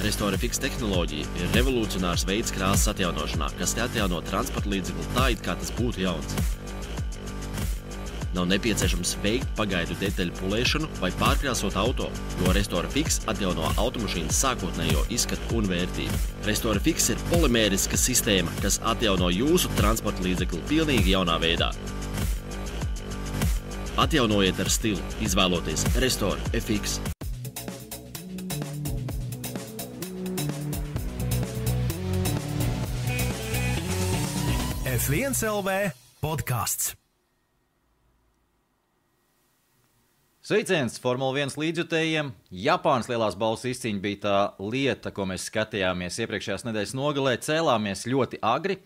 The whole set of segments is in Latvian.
Restore Fix tehnoloģija ir revolucionārs veids krāsas atjaunošanā, kas te atjauno transporta līdzekli tā, it kā tas būtu jauns. Nav nepieciešams veikt pagaidu detaļu pulēšanu vai pārkrāsot auto, jo Restore Fix atjauno automašīnas sākotnējo izskatu un vērtību. Restore Fix ir polimēriska sistēma, kas atjauno jūsu transporta līdzekli pilnīgi jaunā veidā. Atjaunojiet ar stilu, izvēloties Restore FX. F1 LV podcasts. Sveiciens Formula 1 līdzjutējiem. Japānas lielās balvas izcīņa bija tā lieta, ko mēs skatījāmies iepriekšējās nedēļas nogalē. Cēlāmies ļoti agri.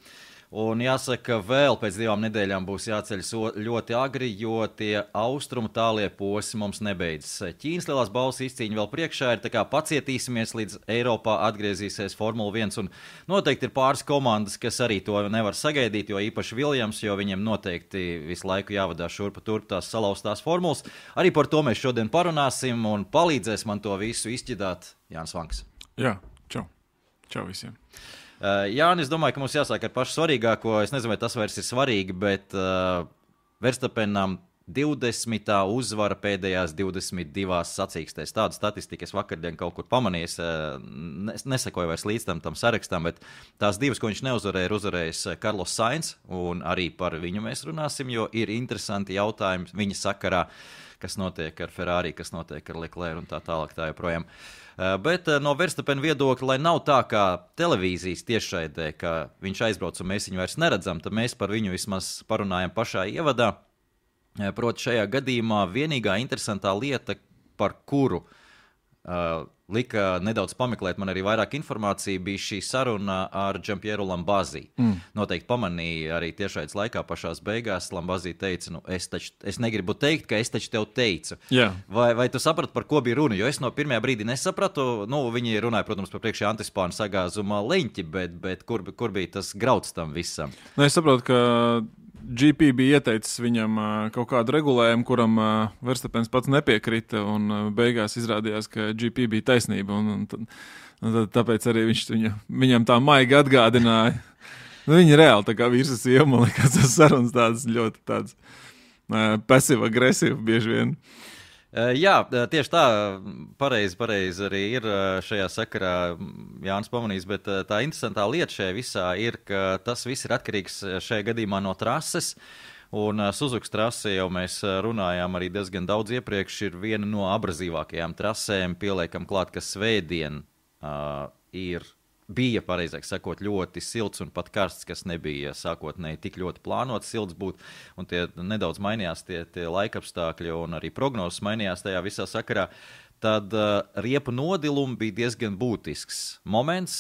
Un jāsaka, vēl pēc 2 nedēļām būs jāceļas ļoti agri, jo tie austrumu tālie posmi mums nebeidzas. Ķīnas lielās balvas izcīņa vēl priekšā ir, tā kā pacietīsimies, līdz Eiropā atgriezīsies Formula 1. Un noteikti ir pāris komandas, kas arī to nevar sagaidīt, jo īpaši Viljams, jo viņiem noteikti visu laiku jāvadā šurpa turp tās salauztās formulas. Arī par to mēs šodien parunāsim un palīdzēs man to visu izķidāt Jānis Vanks. Jā, čau. Čau visiem. Jāni, es domāju, ka mums jāsāk ar pašu svarīgāko. Es nezinu, vai tas vairs ir svarīgi, bet Verstappenam 20. uzvara pēdējās 22 sacīkstēs. Tādu statistiku es vakardien kaut kur pamanījis. Nesakoju vairs līdz tam sarakstam, bet tās 2, ko viņš neuzvarēja, ir uzvarējis Carlos Sainz, un arī par viņu mēs runāsim, jo ir interesanti jautājumi viņa sakarā, kas notiek ar Ferrari, kas notiek ar Leclerc un tā tālāk tā joprojām. Bet no Verstappena viedokļa, lai nav tā kā televīzijas tiešraidē, ka viņš aizbrauc un mēs viņu vairs neredzam, tad mēs par viņu vismaz parunājam pašā ievadā. Proti šajā gadījumā vienīgā interesantā lieta, par kuru lika nedaudz pameklēt man arī vairāk informāciju, bija šī saruna ar Gianpiero Lambazi. Noteikti pamanīja arī tiešraides laikā pašās beigās. Lambazi teica, es negribu teikt, ka es taču tev teicu. Jā. Vai tu saprati, par ko bija runa? Jo es no pirmajā brīdī nesapratu. Viņi runāja, protams, par priekšējā antispānu sagāzuma leņķi, bet kur bija tas grauds tam visam? Es saprotu, ka GP bija ieteicis viņam kaut kādu regulējumu, kuram Verstappens pats nepiekrita, un beigās izrādījās, ka GP bija taisnība, un tāpēc arī viņš viņam tā maigi atgādināja. Viņi reāli tā kā vīrs sieva, man liekas, tas sarunas tādas ļoti tādas pasiva-agresīva bieži vien. Jā, tieši tā, pareizi arī ir šajā sakarā Jānis pamanījis, bet tā interesantā lieta šajā visā ir, ka tas viss ir atkarīgs šajā gadījumā no trases, un Suzukas trase jau mēs runājām arī diezgan daudz iepriekš, ir viena no abrazīvākajām trasēm, pieliekam klāt, ka svētdien bija, pareizāk sakot, ļoti silts un pat karsts, kas nebija sākotnēji tik ļoti plānots silts būt, un tie nedaudz mainījās tie laikapstākļi un arī prognozes mainījās tajā visā sakarā, tad riepu nodilumi bija diezgan būtisks moments,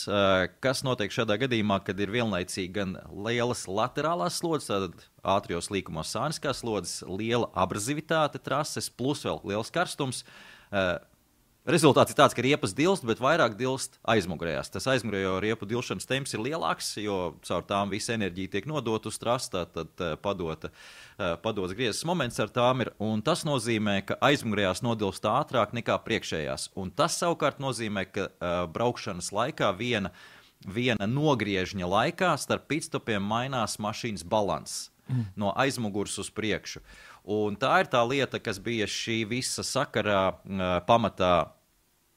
kas notiek šādā gadījumā, kad ir vienlaicīgi gan lielas laterālās slodzes, tātad ātrijos līkumos sāniskās slodzes, liela abrazivitāte trases, plus vēl liels karstums. Rezultāts ir tāds, ka riepas dilst, bet vairāk dilst aizmugurējās. Tas aizmugurējo riepu dilšanas temps ir lielāks, jo caur tām visa enerģija tiek nodot uz trastā, tad padots griezes moments ar tām ir. Un tas nozīmē, ka aizmugurējās nodilst ātrāk nekā priekšējās. Un tas savukārt nozīmē, ka braukšanas laikā viena nogriežņa laikā starp pitstopiem mainās mašīnas balanss no aizmugurs uz priekšu. Un tā ir tā lieta, kas bija šī visa sakarā pamatā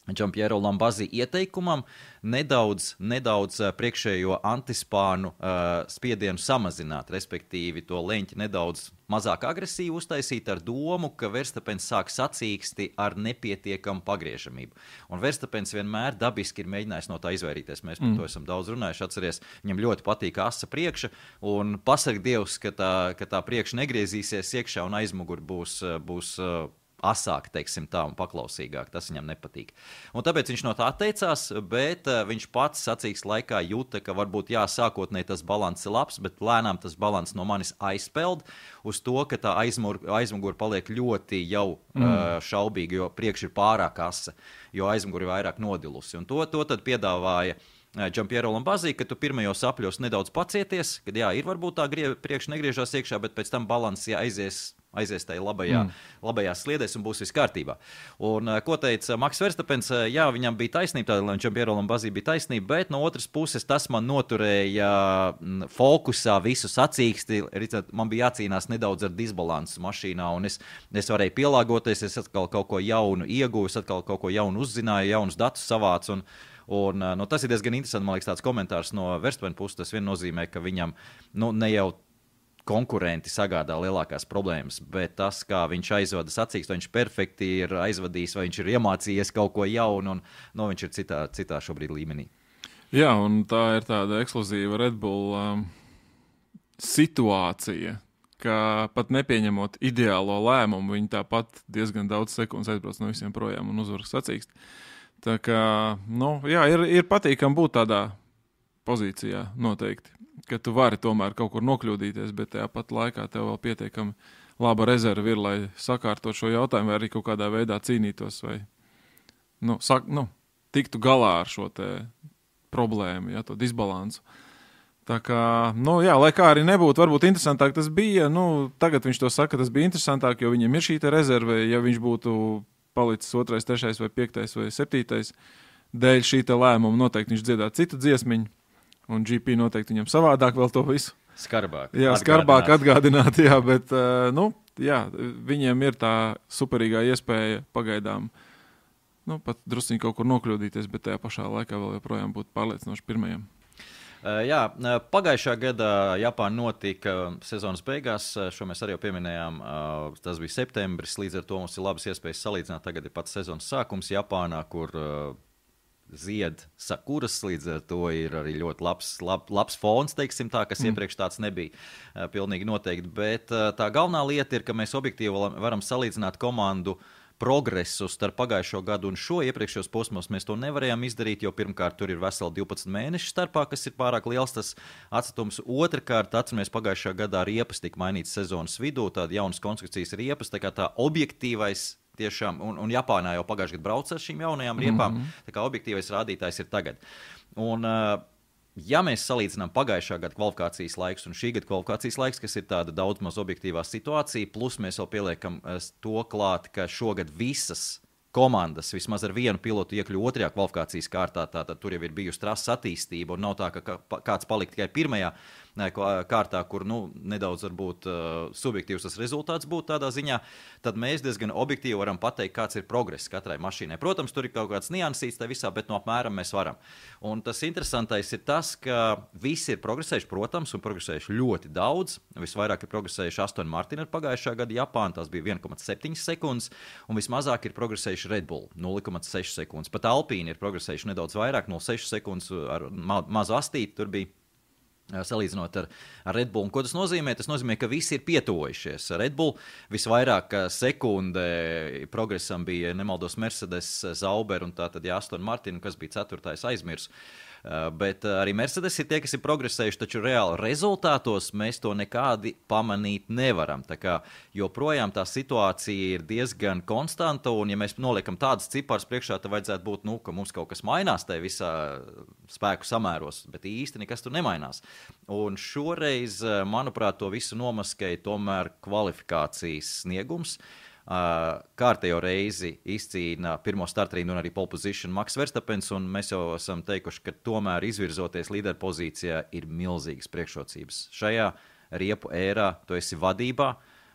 Gianpiero Lambazi ieteikumam nedaudz priekšējo antispānu spiedienu samazināt, respektīvi to leņķi nedaudz mazāk agresīvi uztaisīt ar domu, ka Verstappens sāk sacīksti ar nepietiekamu pagriežamību. Un Verstappens vienmēr dabiski ir mēģinājis no tā izvairīties. Mēs par to esam daudz runājuši, atceries, viņam ļoti patīk asa priekša, un pasarg Dievs, ka tā priekša negriezīsies iekšā un aizmugur būs asāk, teiksim tā, un paklausīgāk. Tas viņam nepatīk. Un tāpēc viņš no tā atteicās, bet viņš pats sacīks laikā jūta, ka varbūt sākotnēji tas balans ir labs, bet lēnām tas balans no manis aizpeld uz to, ka tā aizmugura paliek ļoti jau šaubīga, jo priekš ir pārāk asa, jo aizmugura ir vairāk nodilusi. Un to tad piedāvāja Gianpiero Lambazi, ka tu pirmajos apļos nedaudz pacieties, kad ir varbūt tā priekš negriežās iekšā, bet pēc tam balans aizies aizies tajā labajā sliedēs un būs viss kārtībā. Un, ko teica Maks Verstapens, jā, viņam bija taisnība, tādēļ viņam Pierolam Bazī bija taisnība, bet no otras puses tas man noturēja fokusā visu sacīksti, man bija jācīnās nedaudz ar disbalansu mašīnā, un es varēju pielāgoties, es atkal kaut ko jaunu ieguvu, es atkal kaut ko jaunu uzzināju, jaunus datus savācu, un tas ir diezgan interesanti, man liekas, tāds komentārs no Verstapena puses, tas vien nozīmē, ka viņam, ne jau konkurenti sagādā lielākās problēmas, bet tas, kā viņš aizvada sacīkstu, vai viņš perfekti ir aizvadījis, vai viņš ir iemācījies kaut ko jaunu, un viņš ir citā šobrīd līmenī. Jā, un tā ir tāda ekskluzīva Red Bull situācija, ka pat nepieņemot ideālo lēmumu, viņi tāpat diezgan daudz sekundes aizbrauc no visiem projām un uzvaras sacīkst. Tā kā, jā, ir patīkam būt tādā pozīcijā noteikti, ka tu vari tomēr kaut kur nokļūdīties, bet tajā pat laikā tev vēl pietiekami laba rezerve ir, lai sakārtot šo jautājumu, vai arī kaut kādā veidā cīnītos, vai tiktu galā ar šo te problēmu, ja, to disbalansu. Tā kā, jā, lai kā arī nebūtu, varbūt interesantāk tas bija, tagad viņš to saka, tas bija interesantāk, jo viņam ir šī te rezerve, ja viņš būtu palicis 2., 3. vai 5. vai 7. dēļ šī te lēmuma noteikti viņš dziedāt citu dziesmiņu, un GP noteikti viņam savādāk vēl to visu. Skarbāk. Jā, skarbāk atgādināt, jā, bet, jā, viņiem ir tā superīgā iespēja pagaidām, pat drusciņi kaut kur nokļūdīties, bet tajā pašā laikā vēl joprojām būt pārliecinoši pirmajiem. Jā, pagājušā gada Japāna notika sezonas beigās, šo mēs arī jau pieminējām, tas bija septembris, līdz ar to mums ir labas iespējas salīdzināt, tagad ir pats sezonas sākums Japānā, kur zied sakuras, līdz ar to ir arī ļoti labs fons, teiksim tā, kas iepriekš tāds nebija pilnīgi noteikti, bet tā galvenā lieta ir, ka mēs objektīvi varam salīdzināt komandu progresu starp pagājušo gadu un šo iepriekšējos posmos mēs to nevarējām izdarīt, jo pirmkārt tur ir veseli 12 mēneši starpā, kas ir pārāk liels tas atstatums. Otrakārt, atceramies, pagājušā gadā riepas tika mainīts sezonas vidū, tāda jaunas konstrukcijas riepas, tā kā tā objektīvais tiešām, un Japānā jau pagājušajā gadā brauc ar šīm jaunajām riepām, tā kā objektīvais rādītājs ir tagad. Un ja mēs salīdzinām pagājušā gada kvalifikācijas laiks un šī gada kvalifikācijas laiks, kas ir tāda daudz maz objektīvā situācija, plus mēs vēl pieliekam to klāt, ka šogad visas komandas vismaz ar vienu pilotu iekļuva 2. kvalifikācijas kārtā, tātad tur jau ir bijusi trases attīstība un nav tā, ka kāds palika tikai 1. kārtā, kur nedaudz varbūt subjektīvs tas rezultāts būtu tādā ziņā, tad mēs diezgan objektīvi varam pateikt, kāds ir progress katrai mašīnai. Protams, tur ir kaut kāds niansīts tā visā, bet no apmēram mēs varam. Un tas interesantais ir tas, ka visi ir progresējuši, protams, un progresējuši ļoti daudz. Visvairāk ir progresējuši Aston Martin ar pagājušā gada Japānu, tās bija 1,7 sekundes, un vismazāk ir progresējuši Red Bull, 0,6 sekundes. Pat Alpīni ir progresējuši nedaudz vairāk, 0,6 sekundes ar mazu astīti tur bija. Salīdzinot ar Red Bull. Un ko tas nozīmē? Tas nozīmē, ka visi ir pietuvojušies. Red Bull visvairāk sekunde progresam bija, nemaldos, Mercedes, Sauber un tātad Aston Martin, kas bija 4. aizmirs. Bet arī Mercedes ir tie, kas ir progresējuši, taču reāli rezultātos mēs to nekādi pamanīt nevaram. Tā kā joprojām tā situācija ir diezgan konstanta, un ja mēs noliekam tādus ciparus priekšā, tad vajadzētu būt, ka mums kaut kas mainās tajā visā spēku samēros, bet īsti nekas tur nemainās. Un šoreiz, manuprāt, to visu nomaskēja tomēr kvalifikācijas sniegums. Kārtējo reizi izcīna pirmo startrīnu un arī pole position Maks Verstapens, un mēs jau esam teikuši, ka tomēr izvirzoties līderpozīcijā ir milzīgas priekšrocības. Šajā riepu ērā tu esi vadībā,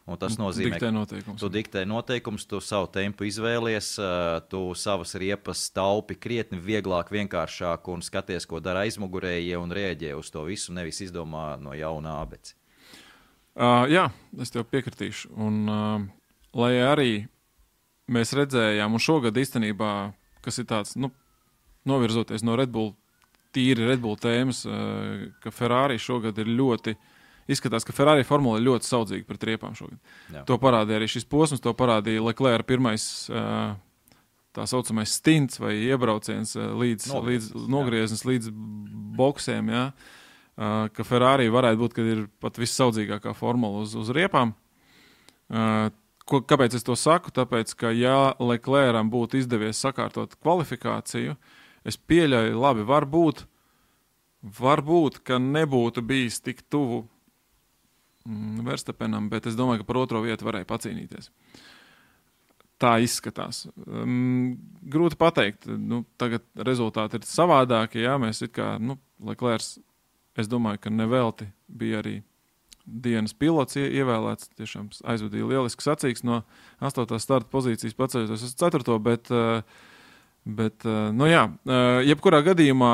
un tas nozīmē, ka tu diktē noteikums, tu savu tempu izvēlies, tu savas riepas taupi krietni vieglāk, vienkāršāk un skaties, ko dara aizmugurējie un rēģē uz to visu, nevis izdomā no jauna ābeci. Jā, es tev piekritīšu, un lai arī mēs redzējām, un šogad īstenībā, kas ir tāds, novirzoties no Red Bull, tīri Red Bull tēmas, ka Ferrari šogad ir izskatās, ka Ferrari formula ir ļoti saudzīga pret riepām šogad. Jā. To parādīja arī šis posms, to parādīja Leclerc pirmais tā saucamais stints vai iebrauciens līdz nogrieznis līdz boksiem, jā, ka Ferrari varētu būt, kad ir pat vissaudzīgākā formula uz riepām. Kāpēc es to saku? Tāpēc, ka ja Leclercam būtu izdevies sakārtot kvalifikāciju, es pieļauju, labi, varbūt, ka nebūtu bijis tik tuvu Verstappenam, bet es domāju, ka par otro vietu varēja pacīnīties. Tā izskatās. Grūti pateikt. Tagad rezultāti ir savādāki. Jā, mēs it kā, Leclerc, es domāju, ka nevelti bija arī dienas pilots ievēlēts. Tiešām aizvadīja lieliski sacīks no 8. starta pozīcijas paceļoties uz 4. Bet jebkurā gadījumā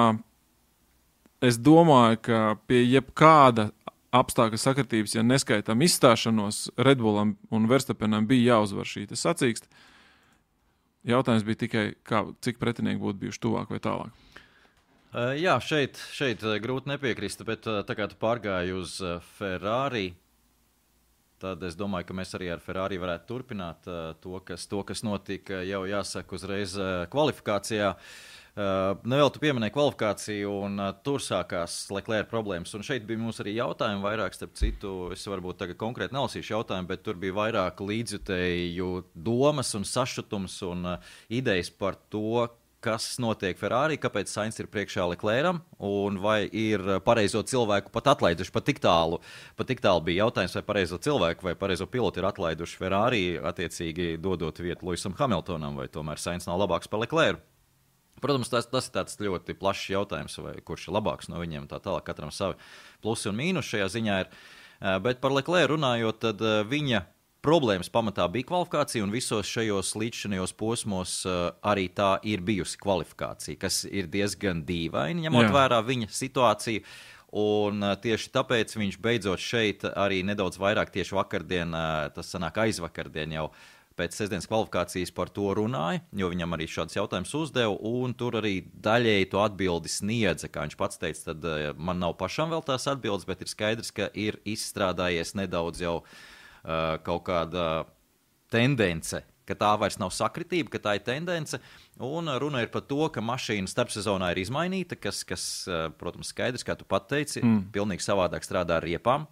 es domāju, ka pie jebkāda apstākļa sakritības, ja neskaitām izstāšanos, Red Bullam un Verstappenam bija jāuzvar šī sacīkst. Jautājums bija tikai, cik pretinieki būtu bijuši tuvāk vai tālāk. Jā, šeit grūti nepiekrist, bet tā kā tu pārgāji uz Ferrari, tad es domāju, ka mēs arī ar Ferrari varētu turpināt to, kas notika jau jāsaka uzreiz kvalifikācijā. Nevēl tu pieminēji kvalifikāciju, un tur sākās Leclerc problēmas. Un šeit bija mums arī jautājumi vairāk, starp citu, es varbūt tagad konkrēti nelasīšu jautājumu, bet tur bija vairāk līdzjutēju domas un sašutums un idejas par to, kas notiek Ferrari, kāpēc Sainz ir priekšā Leclercam, un vai ir pareizo cilvēku pat atlaiduši. Pat tik tālu bija jautājums, vai pareizo cilvēku vai pareizo pilotu ir atlaiduši Ferrari, attiecīgi dodot vietu Lewisam Hamiltonam, vai tomēr Sainz nav labāks par Leclercu. Protams, tas ir tāds ļoti plašs jautājums, vai kurš ir labāks no viņiem, tā tālāk, katram savi plusi un mīnus šajā ziņā ir. Bet par Leclercu runājot, tad viņa problēmas pamatā bija kvalifikācija, un visos šajos līdzšinajos posmos arī tā ir bijusi kvalifikācija, kas ir diezgan dīvaini, ņemot vērā viņa situāciju. Un tieši tāpēc viņš beidzot šeit arī nedaudz vairāk tieši vakardien, tas sanāk aizvakardien jau pēc sestdienas kvalifikācijas par to runāja, jo viņam arī šāds jautājums uzdeva, un tur arī daļēji to atbildi sniedza, kā viņš pats teica, tad man nav pašam vēl tās atbildes, bet ir skaidrs, ka ir izstrādājies nedaudz jau kaut kāda tendence, ka tā vairs nav sakritība, ka tā ir tendence, un runa ir par to, ka mašīna starpsezonā ir izmainīta, kas protams, skaidrs, kā tu pat teici, pilnīgi savādāk strādā ar riepām,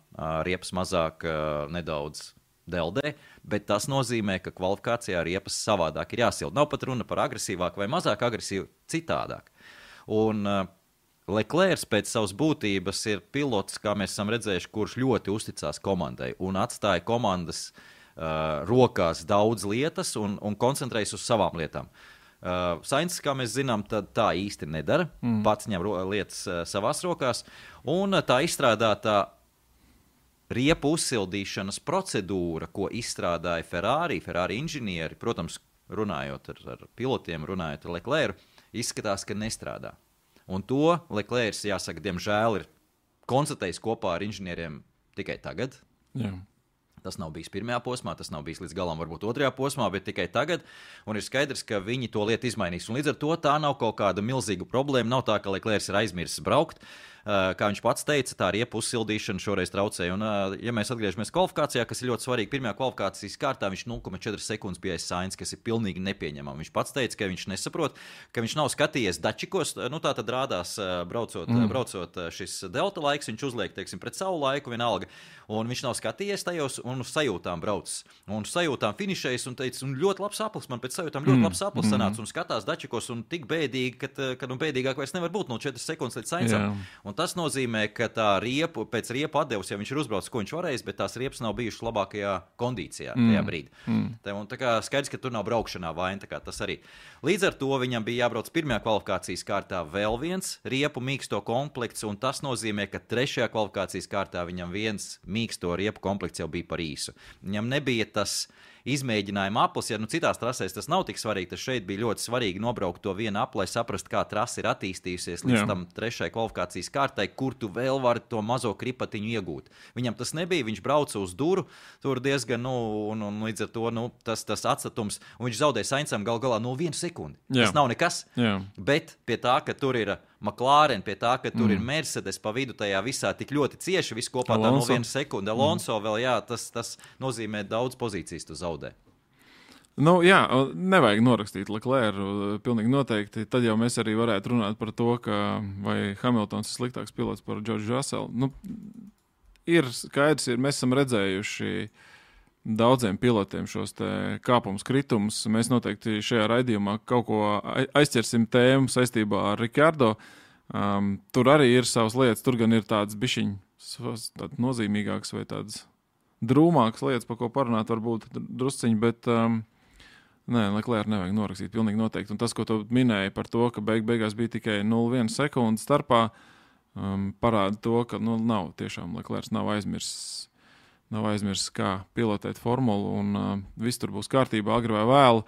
riepas mazāk nedaudz deldē, bet tas nozīmē, ka kvalifikācijā riepas savādāk ir jāsilda. Nav pat runa par agresīvāk vai mazāk agresīvu, citādāk. Un Leclerc pēc savas būtības ir pilots, kā mēs esam redzējuši, kurš ļoti uzticās komandai un atstāja komandas rokās daudz lietas un koncentrējas uz savām lietām. Sainz, kā mēs zinām, tā īsti nedara, pats ņem lietas savās rokās, un tā izstrādātā riepu uzsildīšanas procedūra, ko izstrādāja Ferrari inženieri, protams, runājot ar pilotiem, runājot ar Leclercu, izskatās, ka nestrādā. Un to Leclerc, jāsaka, diemžēl ir konstatējis kopā ar inženieriem tikai tagad. Jā. Tas nav bijis pirmajā posmā, tas nav bijis līdz galam varbūt otrajā posmā, bet tikai tagad. Un ir skaidrs, ka viņi to lietu izmainīs. Un līdz ar to tā nav kaut kāda milzīga problēma. Nav tā, ka Leclerc ir aizmirsis braukt. Kā viņš pats teica, tā riepu uzsildīšana šoreiz traucēja. Un, ja mēs atgriežamies kvalifikācijā, kas ir ļoti svarīgi, pirmajā kvalifikācijas kārtā viņš 0,4 sekundes bija aiz Sainz, kas ir pilnīgi nepieņemami. Viņš pats teica, ka viņš nesaprot, ka viņš nav skatījies dačikos, tā tad rādās braucot šis delta laiks, viņš uzliek, teiksim, pret savu laiku vienalga, un viņš nav skatījies tajos un uz sajūtām braucis. Un uz sajūtām finišējas un teica, un ļoti labs aplis, man pēc sajūtām ļoti labs aplis sanāca, un skatās dačikos un tik bēdīgi, ka bēdīgāk vairs nevar būt 4 sekundes līdz Sainzam. Un tas nozīmē, ka tā pēc riepu atdevus, ja viņš ir uzbraucis, ko viņš varējis, bet tās riepas nav bijušas labākajā kondīcijā tajā brīdī. Un tā kā skaidrs, ka tur nav braukšanā vaina, tā kā tas arī. Līdz ar to viņam bija jābrauc pirmajā kvalifikācijas kārtā vēl viens riepu mīksto komplekts, un tas nozīmē, ka trešajā kvalifikācijas kārtā viņam viens mīksto riepu komplekts jau bija par īsu. Viņam nebija tas izmēģinājuma aplis, ja citās trasēs tas nav tik svarīgi, tas šeit bija ļoti svarīgi nobraukt to vienu apli, lai saprast, kā trasa ir attīstījusies līdz tam trešai kvalifikācijas kārtai, kur tu vēl vari to mazo kripatiņu iegūt. Viņam tas nebija, viņš brauca uz duru, tur diezgan, un līdz ar to, tas atstatums, un viņš zaudēja Sainzam gal galā 1 sekundi. Tas nav nekas, bet pie tā, ka tur ir McLaren, pie tā, ka tur ir Mercedes pa vidu tajā visā tik ļoti cieši, viss kopā tā 1 sekundi. Alonso vēl, tas nozīmē daudz pozīcijas tu zaudē. Nevajag norakstīt Leclercu, pilnīgi noteikti. Tad jau mēs arī varētu runāt par to, ka vai Hamiltons ir sliktāks pilots par George Russellu. Ir skaidrs, mēs esam redzējuši daudziem pilotiem šos kāpumus, kritumus. Mēs noteikti šajā raidījumā kaut ko aizķersim tēmu saistībā ar Ricardo. Tur arī ir savas lietas, tur gan ir tāds bišķiņ tāds nozīmīgāks vai tāds drūmākas lietas, par ko parunāt, varbūt drusciņi, bet nē, Leclerc nevajag norakstīt pilnīgi noteikti. Un tas, ko tu minēji par to, ka beigās bija tikai 0,1 sekundi starpā, parāda to, ka nav tiešām Leclerc nav aizmirsis, kā pilotēt formulu, un viss tur būs kārtībā, agri vai vēlu.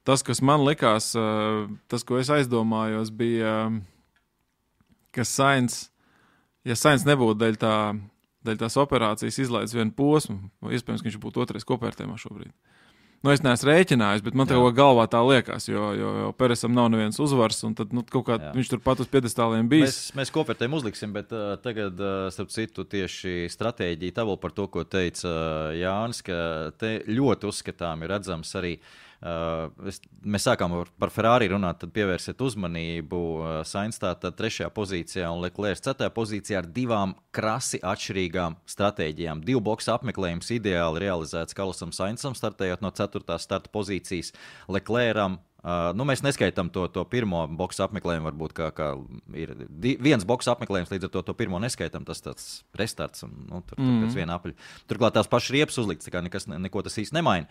Tas, kas man likās, tas, ko es aizdomājos, bija, ka Sainz nebūtu dēļ tās operācijas izlaidis vienu posmu, iespējams, ka viņš būtu otrais kopvērtējumā šobrīd. Es neesmu rēķinājis, bet man te galvā tā liekas, jo Peresam nav neviens uzvars, un tad kaut kā viņš tur pat uz piedestāliem bijis. Mēs kopvērtējumu uzliksim, bet tagad, starp citu, tieši stratēģija tabula par to, ko teica Jānis, ka te ļoti uzskatām ir redzams arī. Mēs sākām par Ferrari runāt, tad pievērsiet uzmanību. Sainz tātad 3. pozīcijā un Leclerc 4. pozīcijā ar 2 krasi atšķirīgām stratēģijām. 2 boksa apmeklējums ideāli realizēts Carlosam Sainzam, startējot no 4. starta pozīcijas. Leclercam, mēs neskaitām to pirmo boksa apmeklējumu, varbūt kā ir 1 boksa apmeklējums, līdz ar to pirmo neskaitām, tas tāds restarts un tur pēc viena apļa. Turklāt tās pašas riepas uzlikts, tā kā neko tas īsti nemaina.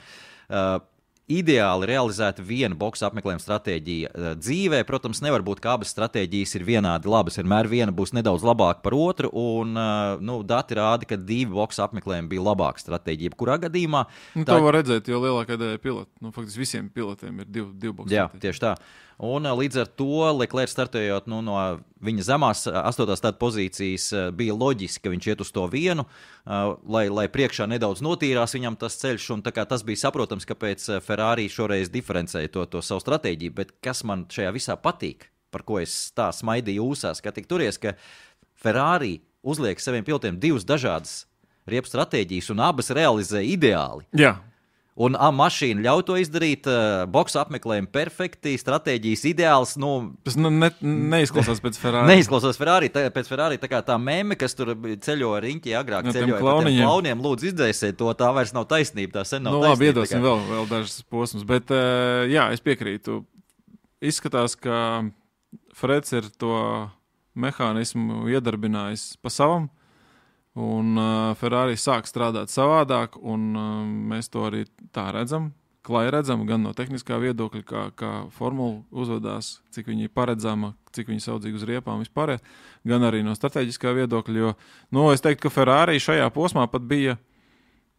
Ideāli realizēta 1 boksa apmeklējuma stratēģija dzīvē. Protams, nevar būt, ka abas stratēģijas ir vienādi labas. Vienmēr viena būs nedaudz labāka par otru, un dati rāda, ka 2 boksa apmeklējumi bija labāka stratēģija. Kurā gadījumā? To var redzēt, jo lielākā daļa pilotu, faktiski visiem pilotiem ir 2 boksa. Jā, tieši tā. Un līdz ar to Leclerc startējot no viņa zemās 8. starta pozīcijas bija loģiski, ka viņš iet uz to vienu, lai priekšā nedaudz notīrās viņam tas ceļš, un tā kā tas bija saprotams, kāpēc Ferrari šoreiz diferencēja to savu stratēģiju, bet kas man šajā visā patīk, par ko es tā smaidīju ūsās, ka tik turies, ka Ferrari uzliek saviem pilotiem 2 dažādas riepu stratēģijas un abas realizē ideāli. Jā. Un mašīna ļauj to izdarīt, boksa apmeklējumi perfekti, stratēģijas ideāls. Tas neizklausās pēc Ferrari. Neizklausās pēc Ferrari, tā kā tā meme, kas tur ceļo riņķī agrāk, ceļoja par tiem klauniem, lūdzu izdzēsiet to, tā vairs nav taisnība, tā sen nav taisnība. Labi, iedosim vēl dažas posmus, bet jā, es piekrītu. Izskatās, ka Freds ir to mehānismu iedarbinājis pa savam, un Ferrari sāk strādāt savādāk, un mēs to arī tā redzam, klāji redzam, gan no tehniskā viedokļa, kā formula uzvedās, cik viņi ir paredzama, cik viņi saudzīgi uz riepām vispār, gan arī no strateģiskā viedokļa, jo, es teiktu, ka Ferrari šajā posmā pat bija,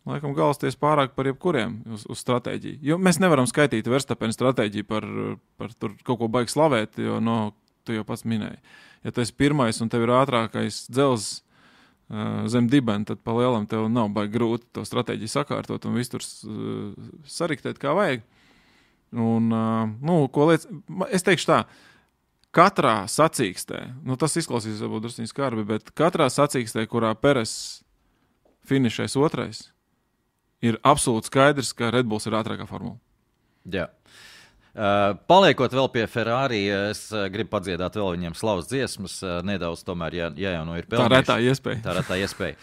laikam, galsties pārāk par jebkuriem uz stratēģiju. Jo mēs nevaram skaitīt Verstappen stratēģiju par tur kaut ko baigi slavēt, jo, tu jau pats minēji. Ja tu esi pirmais un tev ir ātrākais dzelzs zem dibena, tad pa lielam tev nav baigi grūti to stratēģiju sakārtot un visu tur sariktēt kā vajag. Un, es teikšu tā, katrā sacīkstē, tas izklausīs varbūt drusciņi skarbi, bet katrā sacīkstē, kurā Peres finišēs otrais, ir absolūti skaidrs, ka Red Bulls ir ātrākā formula. Jā. Paliekot vēl pie Ferrari, es gribu padziedāt vēl viņiem slavas dziesmas, nedaudz tomēr, ja jau ir pelnījuši. Tā retā iespēja.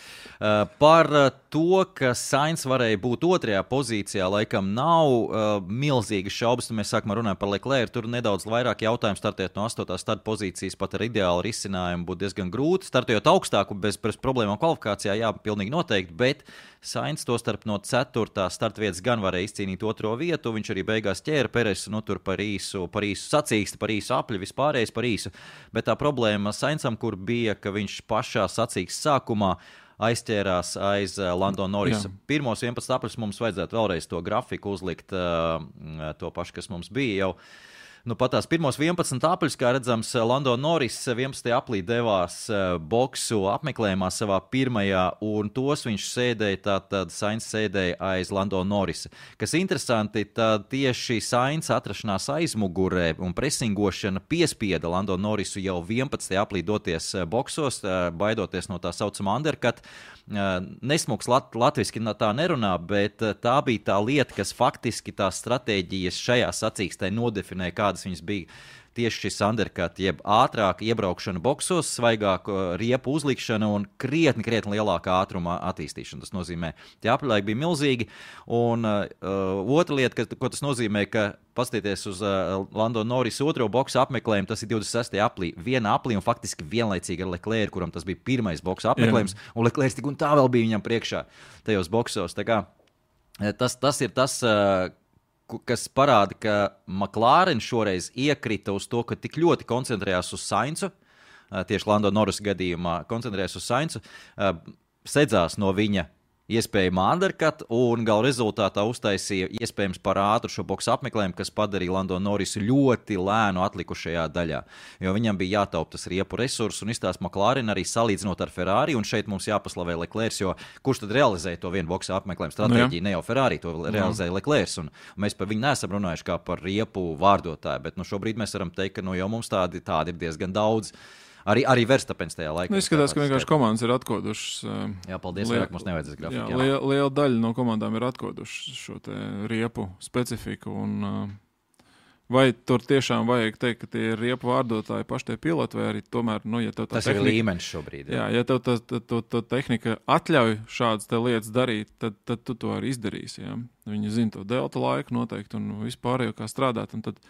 Par to, ka Sainz varēja būt 2. pozīcijā, laikam nav milzīgas šaubas, mēs sākumā runājam par Leclerc, tur nedaudz vairāk jautājumu startēt no 8. starta pozīcijas, pat ar ideālu risinājumu būtu diezgan grūti, startējot augstāku bez problēmām kvalifikācijā, jā, pilnīgi noteikti, bet Sainz to starp no 4. starta vietas gan varēja izcīnīt 2. vietu, viņš arī beigās ķēra Peresu, tur par īsu sacīksti, par īsu apļu, vispārējais par īsu, bet tā problēma Sainzam, kur bija, ka viņš pašā sacīksts sākumā aizķērās aiz Lando Norrisa. Pirmos 11 apļus mums vajadzētu vēlreiz to grafiku uzlikt, to pašu, kas mums bija jau. Pat tās pirmos 11 apļus, kā redzams, Lando Norris 11. aplī devās boksu apmeklējumā savā pirmajā, un tos viņš sēdēja, tātad Sainz sēdēja aiz Lando Norrisa. Kas interesanti, tad tieši Sainz atrašanās aizmugurē un presingošana piespieda Lando Norrisu jau 11. aplī doties boksos, baidoties no tā saucamā undercut. Nesmuks latviski tā nerunā, bet tā bija tā lieta, kas faktiski tās stratēģijas šajā sacīkstē nodefinēja, kādas kādas viņas bija. Tieši šis undercut, jeb ātrāka iebraukšana boksos, svaigāka riepu uzlikšana un krietni lielāka ātruma attīstīšana. Tas nozīmē, tie aplilaiki bija milzīgi. Un otra lieta, ko tas nozīmē, ka paskatieties uz Lando Norris otro boksu apmeklējumu, tas ir 26. aplī. Viena aplī un faktiski vienlaicīgi ar Leclerc, kuram tas bija pirmais boksu apmeklējums, un Leclerc tik un tā vēl bija viņam priekšā tajos boksos. Tā kā, tas ir tas, kas parāda, ka McLaren šoreiz iekrita uz to, ka tik ļoti koncentrējās uz Sainzu, tieši Lando Norris gadījumā koncentrējās uz Sainzu, sedzās no viņa iespējamā undercut un gala rezultātā uztaisīja iespējams par ātru šo boksu apmeklējumu, kas padarīja Lando Norrisu ļoti lēnu atlikušajā daļā. Jo viņam bija jātaupa tas riepu resursu un izstāst McLaren arī salīdzinot ar Ferrari, un šeit mums jāpaslavē Leclerc, jo kurš tad realizēja to vienu boksu apmeklējumu stratēģiju, ne jau Ferrari, to realizēja Leclerc, un mēs par viņu neesam runājuši kā par riepu vārdotāju, bet šobrīd mēs varam teikt, ka jau mums tādi ir diezgan daudz. Arī Verstapens tajā laikā. Izskatās, ka vienkārši komandas ir atkodušas. Jā, paldies, vairāk mums nevajadzēs grafiku. Liela daļa no komandām ir atkodušas šo te riepu specifiku. Un, vai tur tiešām vajag teikt, ka tie ir riepu vārdotāji paši tie piloti, vai arī tomēr, ja tev tā tas tehnika, ir līmenis šobrīd. Jā, ja tev tā tehnika atļauj šādas te lietas darīt, tad tu to arī izdarīsi. Jā. Viņi zina to delta laiku noteikti un vispārējo kā strādāt. Un tad,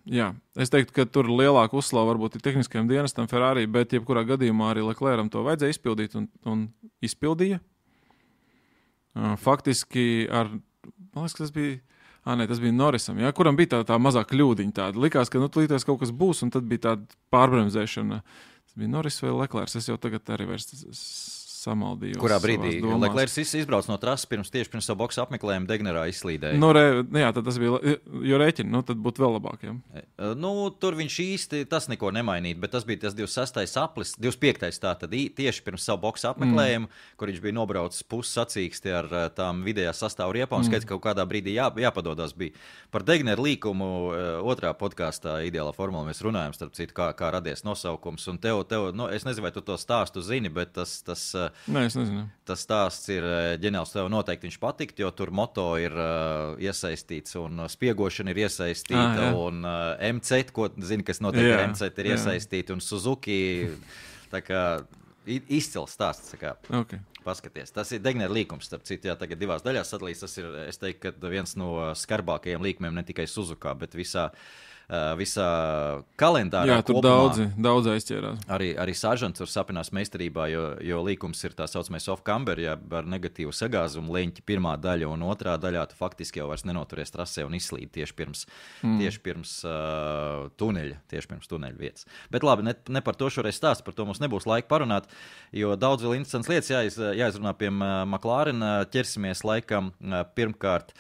jā, es teiktu, ka tur lielāka uzslava varbūt ir tehniskajam dienestam Ferrari, bet jebkurā gadījumā arī Leclercam to vajadzēja izpildīt un izpildīja. Faktiski man liekas, tas bija Norrisam, jā, kuram bija tā mazā kļūdiņa tāda. Likās, ka līdz kaut kas būs, un tad bija tāda pārbremzēšana. Tas bija Norris vai Leclerc, es jau tagad arī vairs samaldījos. Kurā brīdī Leclerc izbrauc no trases tieši pirms savu boksu apmeklējumu Degnerā izslīdēja? Jā, tad tas bija, jo rēķini, tad būtu vēl labāk. Jā. Tur viņš īsti tas neko nemainīt, bet tas bija tas 26. aplis, 25. tātad tieši pirms savu boksu apmeklējumu, kur viņš bija nobraucis pussacīksti ar tām vidējā sastāvu riepām, skaidrs, ka kaut kādā brīdī jāpadodās bija. Par Degneru līkumu otrā podkāstā Ideālā formula mēs runājam, starp citu, kā radies nosaukums, un tev es nezinu, vai tu to stāstu zini, bet Nē, es nezinu. Tas stāsts ir ģeniāls, tev noteikti viņš patikt, jo tur moto ir iesaistīts un spiegošana ir iesaistīta un MZ, ko zini, kas notiek ar MZ, ir iesaistīta un Suzuki, tā kā izcils stāsts, tā kā paskaties. Tas ir Degnera līkums, starp citu, tagad divās daļās sadalīs, tas ir, es teiktu, ka viens no skarbākajiem līkumiem ne tikai Suzukā, bet visā kalendārā. Jā, tur kopumā, daudz aizķērās. Arī Saržants tur sapinās meistarībā, jo līkums ir tā saucamais off-camber, ja ar negatīvu sagāzumu leņķi pirmā daļa un otrā daļā tu faktiski jau vairs nenoturies trasē un izslīd tieši pirms tuneļa vietas. Bet labi, ne par to šoreiz stāst, par to mums nebūs laika parunāt, jo daudz vēl interesants lietas jāizrunā pie McLaren. Ķersimies laikam pirmkārt.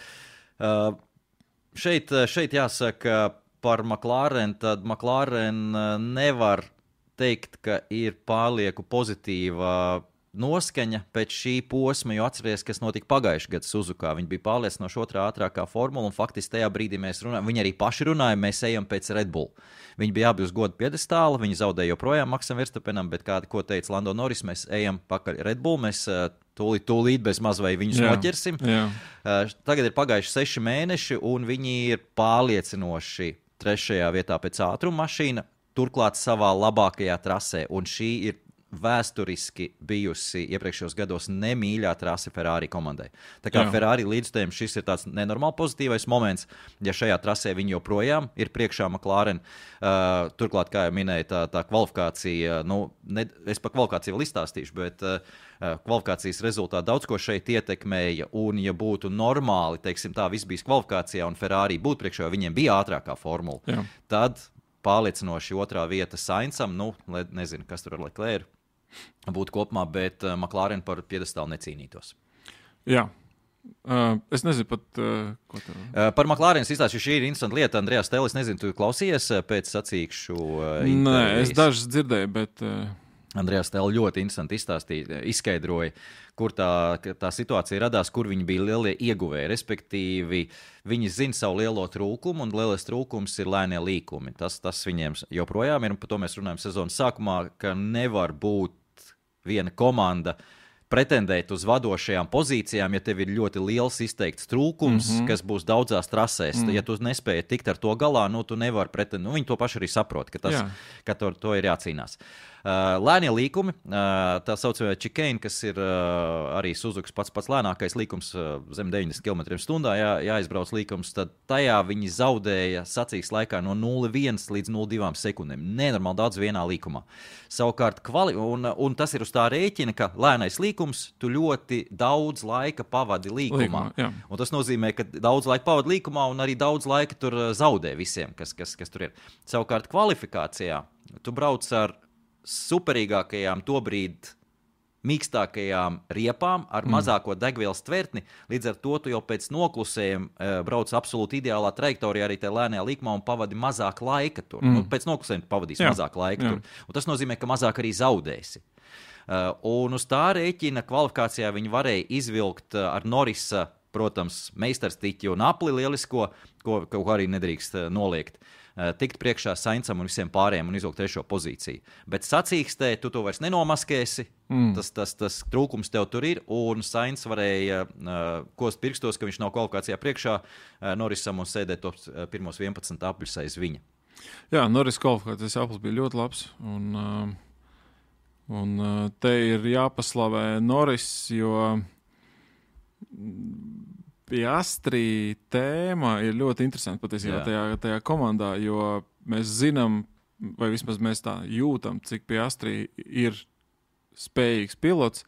Šeit jāsaka, par McLaren, tad McLaren nevar teikt, ka ir pārlieku pozitīva noskaņa pēc šī posma, jo atceries, kas notika pagājušajā gadā Suzukā. Viņi bija pārliecinoši otrā ātrākā formula, un faktiski tajā brīdī mēs runājam, viņi arī paši runāja, mēs ejam pēc Red Bull. Viņi bija abi uz godu piedestāla, viņi zaudēja joprojām Maksam Verstapenam, bet ko teica Lando Norris, mēs ejam pakaļ Red Bull, mēs tūlīt bez maz vai viņus noķersim. Jā. Tagad ir pagājuši 6 mēneši, un viņi ir pārliecinoši 3. vietā pēc ātruma mašīna, turklāt savā labākajā trasē, un šī ir vēsturiski bijusi iepriekšējos gados nemīļā trase Ferrari komandai. Tā kā Ferrari līdzstājiem šis ir tāds nenormāli pozitīvais moments, ja šajā trasē viņi joprojām ir priekšā McLaren. Turklāt, kā jau minēja, tā kvalifikācija, es par kvalifikāciju vēl izstāstīšu, bet kvalifikācijas rezultāti daudz ko šeit ietekmēja, un ja būtu normāli, teiksim tā, viss bijis kvalifikācijā un Ferrari būtu priekšā, viņiem bija ātrākā formula, tad pārliecinoši otrā vieta Sainzam, nezinu, kas tur ar Leclerc būtu kopumā, bet McLaren par piedestālu necīnītos. Jā. Es nezinu pat, ko tev... Par McLaren izstāstīšu, šī ir interesanta lieta. Andrejs Tēlis, nezinu, tu klausies pēc sacīkšu intervijas? Nē, es dažas dzirdēju, bet... Andrejs Tēlis ļoti interesanti izskaidroja, kur tā situācija radās, kur viņi bija lielie ieguvēji. Respektīvi, viņi zina savu lielo trūkumu, un lielais trūkums ir lēnie līkumi. Tas viņiem joprojām ir, un par to mēs runājam sezonas sākumā, ka nevar būt viena komanda pretendēt uz vadošajām pozīcijām, ja tev ir ļoti liels izteikts trūkums, kas būs daudzās trasēs. Ja tu nespēji tikt ar to galā, tu nevari pretendēt. Viņi to paši arī saprot, ka to ir jācīnās. Lēnie līkumi, tā saucamā chicane, kas ir arī Suzukas pats lēnākais līkums, zem 90 km/h jāizbrauc līkums, tad tajā viņi zaudēja sacīksts laikā no 0,1 līdz 0,2 sekundēm. Nenormāli daudz vienā līkumā. Savukārt, un tas ir uz tā rēķina, ka lēnais līkums, tu ļoti daudz laika pavadi līkumā. Un tas nozīmē, ka daudz laika pavadi līkumā un arī daudz laika tur zaudē visiem, kas tur ir. Savukārt, kvalifikācijā tu brauc ar superīgākajām tobrīd mīkstākajām riepām ar mazāko degvielas tvertni, līdz ar to tu jau pēc noklusējiem brauc absolūti ideālā trajektorijā arī tajā lēnajā līkumā un pavadi mazāk laika tur. Pēc noklusējiem pavadīs mazāk laika tur. Un tas nozīmē, ka mazāk arī zaudēsi. Un uz tā rēķina kvalifikācijā viņi varēja izvilkt ar Norrisa, protams, meistarstiķi un apli lielisko, ko arī nedrīkst noliegt. Tikt priekšā Saincam un visiem pārējiem un izvilkt 3. pozīciju. Bet sacīkstē tu to vairs nenomaskēsi, tas trūkums tev tur ir, un Sainz varēja kost pirkstos, ka viņš nav kvalifikācijā priekšā Norrisam un sēdēt tos pirmos 11 apļus aiz viņa. Jā, Norris kvalifikācijas aplis bija ļoti labs, un te ir jāpaslavē Norris, jo Piastri tēma ir ļoti interesanta patiesībā tajā komandā, jo mēs zinām, vai vismaz mēs tā jūtam, cik Piastri ir spējīgs pilots,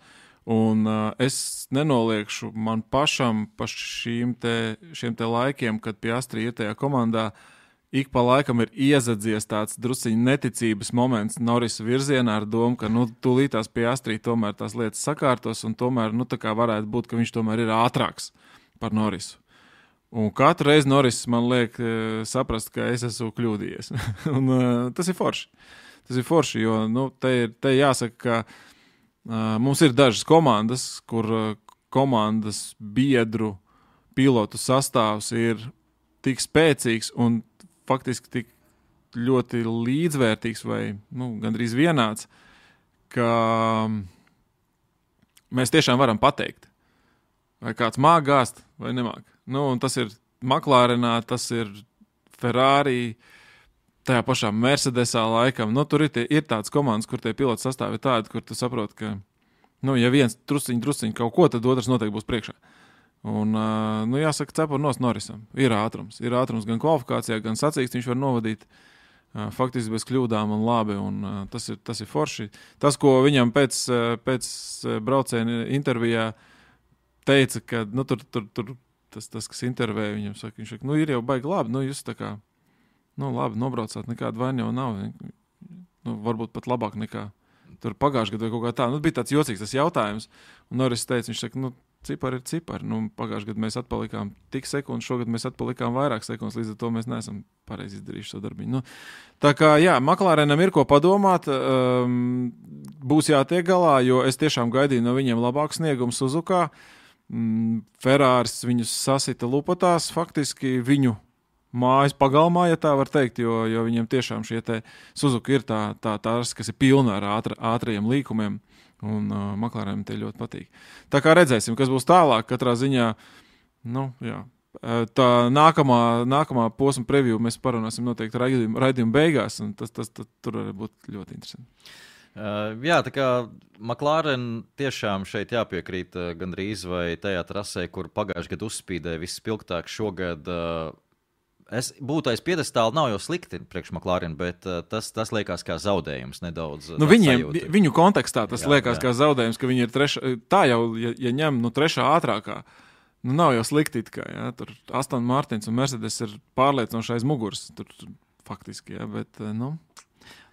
un es nenoliekšu man pašam pa šiem te laikiem, kad Piastri ir tajā komandā, ik pa laikam ir iezadzies tāds drusciņ neticības moments Norrisa virzienā ar domu, ka tūlītās Piastri tomēr tās lietas sakārtos, un tomēr tā kā varētu būt, ka viņš tomēr ir ātrāks par Norrisu. Un katru reizi Norris man liek saprast, ka es esmu kļūdījies. Un tas ir forši. Tas ir forši, jo te jāsaka, ka mums ir dažas komandas, kur komandas biedru pilotu sastāvs ir tik spēcīgs un faktiski tik ļoti līdzvērtīgs vai gandrīz vienāds, ka mēs tiešām varam pateikt, vai kāds māk gāzt, vai nemāk. Un tas ir McLarenā, tas ir Ferrari, tajā pašā Mercedesā laikam. Tur ir tāds komandas, kur tie piloti sastāvi tādi, kur tu saproti, ka, ja viens drusciņ kaut ko, tad otrs noteikti būs priekšā. Un, jāsaka, cepur nos Norrisam. Ir ātrums gan kvalifikācijā, gan sacīksts viņš var novadīt faktiski bez kļūdām un labi, un tas ir forši. Tas, ko viņam pēc brauciena intervijā teica, ka tur tas, kas intervēja, viņam saka, viņš saka, ir jau baigi labi, jūs tā kā, labi, nobraucāt, nekāda vaina jau nav, varbūt pat labāk nekā tur pagājušajā gadā vai kaut kā tā. Bija tāds jocīgs tas jautājums, un Norris teica, viņš saka, cipari ir cipari, pagājušajā gadā mēs atpalikām tik sekundes, šogad mēs atpalikām vairāk sekundes, līdz ar to mēs neesam pareizi izdarījuši šo darbiņu. Tā kā, McLarenam ir ko padomāt, būs jātiek galā, jo es tiešām gaidīju no viņiem labāku sniegumu Suzukā. Ferraris viņus sasita lupatās, faktiski viņu mājas pagalmā, ja tā var teikt, jo viņiem tiešām šie te Suzuka ir tās, kas ir pilna ar ātrajiem līkumiem, un McLarenam te ļoti patīk. Tā kā redzēsim, kas būs tālāk, katrā ziņā, tā nākamā posma preview mēs parunāsim noteikti raidījuma beigās, un tas tur var būt ļoti interesanti. Tā kā McLaren tiešām šeit jāpiekrīt gandrīz vai tajā trasē, kur pagājušajā gadā uzspīdēja vispilgtāk šogad. Es būtu aiz piedestāla, nav jau slikti priekš McLaren, bet tas liekas kā zaudējums nedaudz. Viņu kontekstā tas liekas kā zaudējums, ka viņi ir trešā, tā jau, ja ņem trešā ātrākā, nav jau slikti it kā, tur Aston Martins un Mercedes ir pārliecinoši aiz muguras, tur faktiski, bet,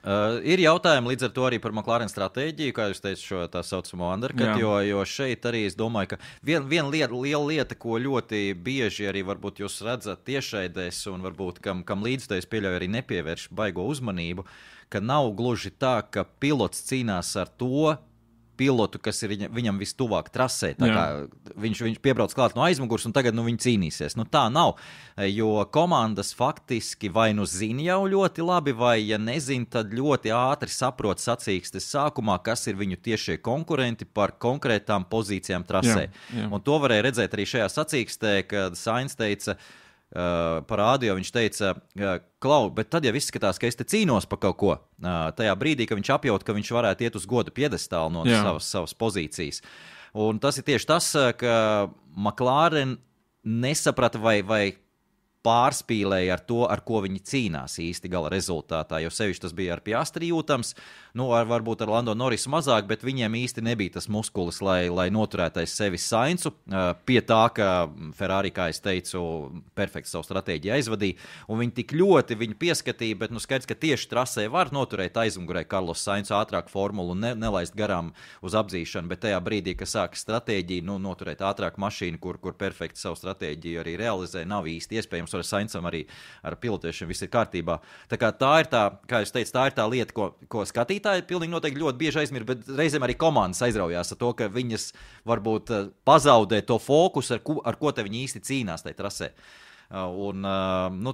Ir jautājumi līdz ar to arī par McLaren stratēģiju, kā jūs teicat, šo tā saucamo undercut, jo šeit arī es domāju, ka viena liela lieta, ko ļoti bieži arī varbūt jūs redzat tiešraidēs un varbūt kam līdztais pieļauj arī nepievērš baigo uzmanību, ka nav gluži tā, ka pilots cīnās ar to, pilotu, kas ir viņam vistuvāk trasē. Tā kā viņš piebrauc klāt no aizmugurs un tagad viņi cīnīsies. Tā nav, jo komandas faktiski vai zina jau ļoti labi, vai ja nezina, tad ļoti ātri saprot sacīkstes sākumā, kas ir viņu tiešie konkurenti par konkrētām pozīcijām trasē. Jā. Un to varēja redzēt arī šajā sacīkstē, kad Sainz teica, par rādio viņš teica, Klau, bet tad jau izskatās, ka es te cīnos par kaut ko. Tajā brīdī, ka viņš apjaut, ka viņš varētu iet uz goda piedestālu no savas pozīcijas. Un tas ir tieši tas, ka McLaren nesaprata vai pārspīlēja ar to, ar ko viņi cīnās īsti gala rezultātā, jo sevišķi tas bija ar Piastri jūtams, varbūt ar Lando Norrisu mazāk, bet viņiem īsti nebija tas muskulis, lai noturētais sevi Sainzu, pie tā, ka Ferrari, kā es teicu, perfekti savu stratēģiju aizvadīja, un viņi tik ļoti viņu pieskatīja, bet skaidrs, ka tieši trasē var noturēt aizmugurē Carlos Sainzu ātrāk formulu un nelaist garām uz apdzīšanu, bet tajā brīdī, kad sākas stratēģija, noturēt ātrāk mašīnu, kur perfekti savu stratēģiju arī realizē, nav īsti iespējams. Ar Sainzam arī ar pilotēšanu viss ir kārtībā. Tā kā tā ir tā, kā es teicu, tā ir tā lieta, ko skatītāji pilnīgi noteikti ļoti bieži aizmirst, bet reizēm arī komandas aizraujās ar to, ka viņas varbūt pazaudē to fokusu, ar ko te viņi īsti cīnās tajā trasē. Un,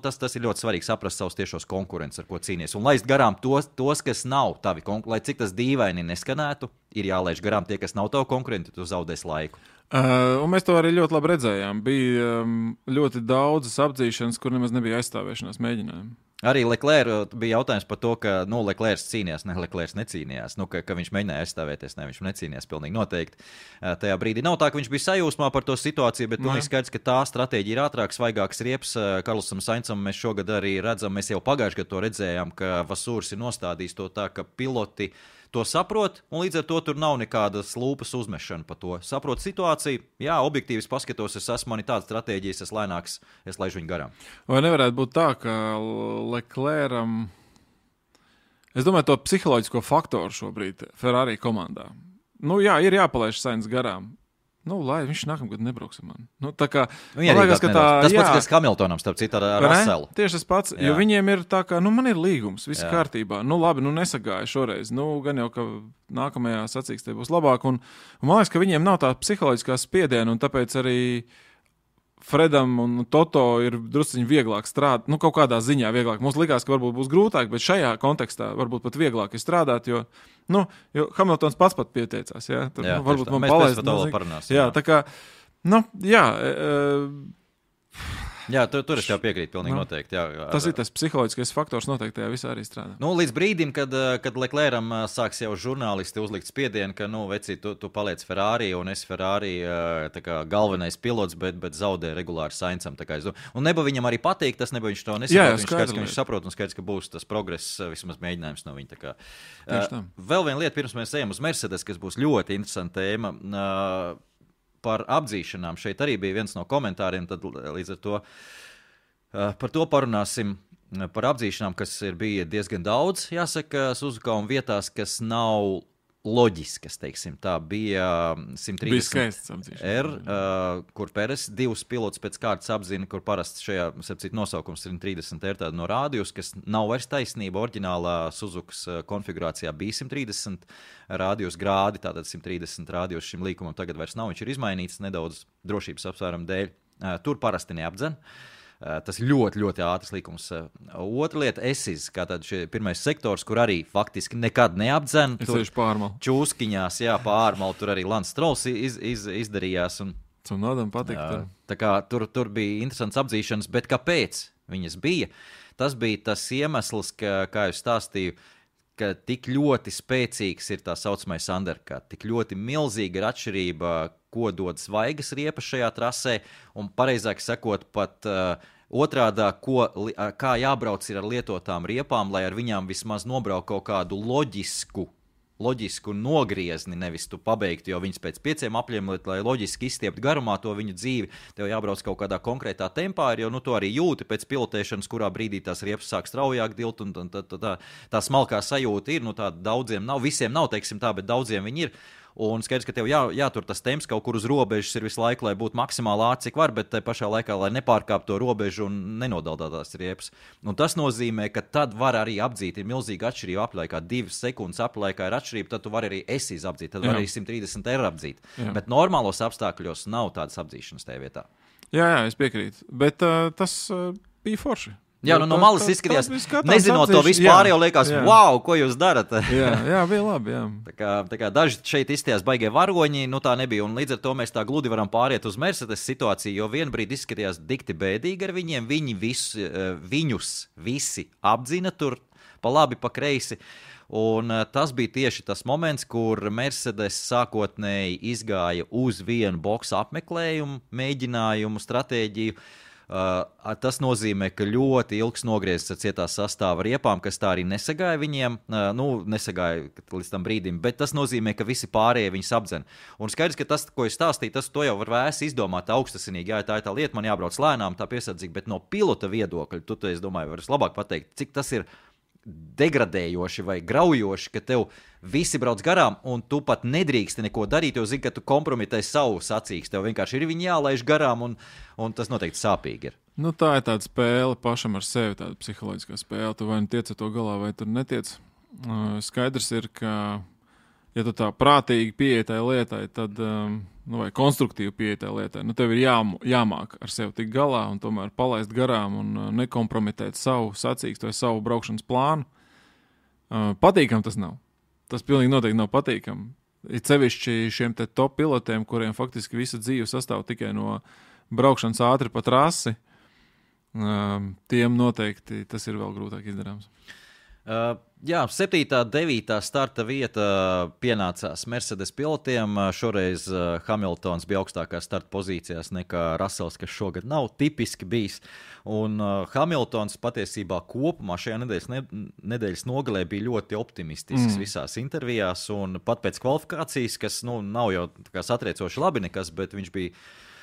tas ir ļoti svarīgi saprast savus tiešos konkurentus, ar ko cīnies. Un laist garām tos kas nav tavi konkurenti, lai cik tas dīvaini neskanētu, ir jālaiž garām tie, kas nav tavi konkurenti, tu zaudēs laiku. Un mēs to arī ļoti labi redzējām. Bija ļoti daudzas apdzīšanas, kur nemaz nebija aizstāvēšanās mēģinājumi. Arī Leclerc bija jautājums par to, ka Leclerc cīnījās, Leclerc necīnījās, ka viņš mēģināja aizstāvēties, viņš necīnījās pilnīgi noteikti. Tajā brīdī nav tā, ka viņš bija sajūsmā par to situāciju, bet pilnīgi skaidrs, ka tā stratēģija ir ātrāk, svaigāks riepas. Karlosam Sainzam mēs šogad arī redzam, mēs jau pagājuši gadu to redzējām, ka Vasūrs ir nostādījis to tā, ka piloti to saprot, un līdz ar to tur nav nekādas lūpas uzmešana par to. Saprot situāciju, jā, objektīvi paskatos, es esmu mani tāda stratēģijas, es lēnāks, es laižu viņu garām. Vai nevarētu būt tā, ka Leclercam, es domāju, to psiholoģisko faktoru šobrīd Ferrari komandā. Ir jāpalaiž Sainz garām. Lai viņš nākamgad nebrauks ar mani. Tā kā, man liekas, ka tas pats, kas Hamiltonam, starp citu, ar Russellu. Tieši tas pats, jo viņiem ir tā kā, man ir līgums, viss kārtībā. Labi, nesagāja šoreiz. Gan jau, ka nākamajā sacīkstē būs labāk. Un man liekas, ka viņiem nav tā psiholoģiskā spiediena, un tāpēc arī Fredam un Toto ir drusciņi vieglāk strādāt, kaut kādā ziņā vieglāk. Mums likās, ka varbūt būs grūtāk, bet šajā kontekstā varbūt pat vieglāk ir strādāt, jo Hamiltons pats pat pieteicās, jā. Tur, varbūt man palaist. Jā, tā kā, Jā, tur es jau piekrītu pilnīgi noteikti. Tas ir tas psiholoģiskais faktors noteikti tajā visā arī strādā. Līdz brīdim, kad Leclercam sāks jau žurnālisti uzlikt spiedienu, ka, veci, tu paliec Ferrari un es Ferrari galvenais pilots, bet zaudē regulāri Sainzam. Un neba viņam arī patīk, tas neba viņš to nesaprot. Viņš skaidrs, ka viņš saprot un skaidrs, ka būs tas progress, vismaz mēģinājums no viņa. Vēl viena lieta, pirms mēs ejam uz Mercedes, kas būs ļoti interesanta tēma. Par apdzīšanām. Šeit arī bija viens no komentāriem, tad līdz ar to par to parunāsim. Par apdzīšanām, kas bija diezgan daudz, jāsaka, Suzuka un vietās, kas nav loģiskas, teiksim. Tā bija 130 R, kur Peres divus pilotus pēc kārtas apzina, kur parasti šajā nosaukums 130 R tāda no rādījus, kas nav vairs taisnība. Oriģinālā Suzukas konfigurācijā bija 130 rādījus grādi, tātad 130 rādījus šim līkumam tagad vairs nav. Viņš ir izmainīts nedaudz drošības apsvērumu dēļ. Tur parasti neapdzen. Tas ir ļoti, ļoti ātrs likums. Otra lieta, ESIS, kā tad pirmais sektors, kur arī faktiski nekad neapdzen. Tur čūskiņās, pārmalu, tur arī Lance Strolls izdarījās. Cunodam patīk. Tā kā tur bija interesants apdzīšanas, bet kāpēc viņas bija? Tas bija tas iemesls, kā es stāstīju, ka tik ļoti spēcīgs ir tā saucamais undercut, tik ļoti milzīga ir atšķirība, ko dod svaigas riepas šajā trasē, un pareizāk sakot pat otrādā, kā jābrauc ir ar lietotām riepām, lai ar viņām vismaz nobrauk kaut kādu loģisku nogriezni, nevis tu pabeigtu, jo viņas pēc 5 apļiem, lai loģiski izstieptu garumā to viņu dzīvi, tev jābrauc kaut kādā konkrētā tempā, jo to arī jūti pēc pilotēšanas, kurā brīdī tās riepas sāk straujāk dilt, un tā smalkā sajūta ir, tā daudziem nav, visiem nav, teiksim tā, bet daudziem viņi ir. Un skaidrs, ka tev jātur tas temps kaut kur uz robežas ir visu laiku, lai būtu maksimāli ātri, cik var, bet tai pašā laikā, lai nepārkāp to robežu un nenodaldātās riepas. Un tas nozīmē, ka tad var arī apdzīt, ir milzīga atšķirība aplaikā, 2 sekundes aplaikā ir atšķirība, tad tu vari arī apdzīt, tad var arī 130 eiro apdzīt. Jā. Bet normālos apstākļos nav tādas apdzīšanas tajā vietā. Jā, es piekrītu, bet tas bija forši. Jā, no malas izskatījās, nezinot to vispār, jau liekas, wow, ko jūs darat. jā, bija labi, jā. Tā kā daži šeit izstījās baigie varoņi, tā nebija, un līdz ar to mēs tā gludi varam pāriet uz Mercedes situāciju, jo vienbrīd izskatījās dikti bēdīgi ar viņiem, viņus visi apdzina tur pa labi, pa kreisi, un tas bija tieši tas moments, kur Mercedes sākotnēji izgāja uz vienu boksu apmeklējumu, mēģinājumu, stratēģiju. Tas nozīmē, ka ļoti ilgs nogriezis ar cietās sastāva riepām, kas tā arī nesagāja viņiem, nesagāja līdz tam brīdim, bet tas nozīmē, ka visi pārējie viņus apdzen. Un skaidrs, ka tas, ko es stāstīju, to jau var vēsi izdomāt augstasinīgi, jā, tā ir tā lieta, man jābrauc lēnām, tā piesardzīgi, bet no pilota viedokļa, es domāju, varas labāk pateikt, cik tas ir degradējoši vai graujoši, ka tev visi brauc garām, un tu pat nedrīksti neko darīt, jo zini, ka tu kompromitē savu sacīkstu. Tev vienkārši ir viņi jālaiž garām, un tas noteikti sāpīgi ir. Tā ir tāda spēle pašam ar sevi, tāda psiholoģiskā spēle. Tu vai nu tiec ar to galā, vai tu netiec. Skaidrs ir, ka, ja tu tā prātīgi pieeja tai lietai, tad, vai konstruktīvi pieeja tai lietai, tev ir jāmāk ar sevi tik galā un tomēr palaist garām un nekompromitēt savu sacīkstu vai savu braukšanas plānu. Patīkam tas nav. Tas pilnīgi noteikti nav patīkami. Ir sevišķi šiem te top pilotiem, kuriem faktiski visa dzīve sastāv tikai no braukšanas ātri pa trasi, tiem noteikti tas ir vēl grūtāk izdarāms. Jā, 7. 9. starta vieta pienācās Mercedes pilotiem. Šoreiz Hamiltons bija augstākās starta pozīcijās nekā Russells, kas šogad nav tipiski bijis. Un Hamiltons patiesībā kopumā šajā nedēļas nogalē bija ļoti optimistisks visās intervijās. Un pat pēc kvalifikācijas, kas nav jau satriecoši labi nekas, bet viņš bija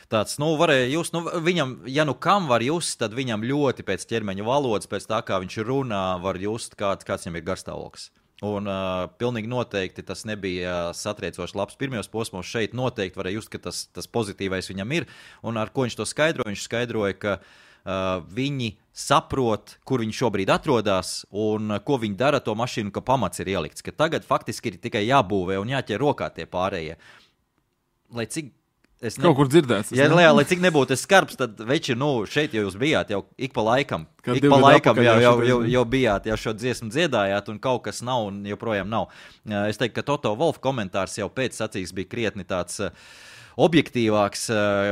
tāds, varēja just, viņam, ja kam var just, tad viņam ļoti pēc ķermeņa valodas, pēc tā, kā viņš runā, var just, kāds viņam ir garstāvoklis. Un pilnīgi noteikti tas nebija satriecoši labs pirmajos posmos. Šeit noteikti varēja just, ka tas pozitīvais viņam ir. Un ar ko viņš to skaidroja? Viņš skaidroja, ka viņi saprot, kur viņi šobrīd atrodas un ko viņi dara to mašīnu, ka pamats ir ielikts. Ka tagad faktiski ir tikai jābūvē un jāķer rokā tie pārējie. Lai cik kaut kur dzirdēts. Lai cik nebūtu skarbs, tad veči, šeit jau jūs bijāt, jau ik pa laikam jau bijāt, jau šo dziesmu dziedājāt, un kaut kas nav, un joprojām nav. Es teiktu, ka Toto Wolff komentārs jau pēc sacīks bija krietni tāds objektīvāks.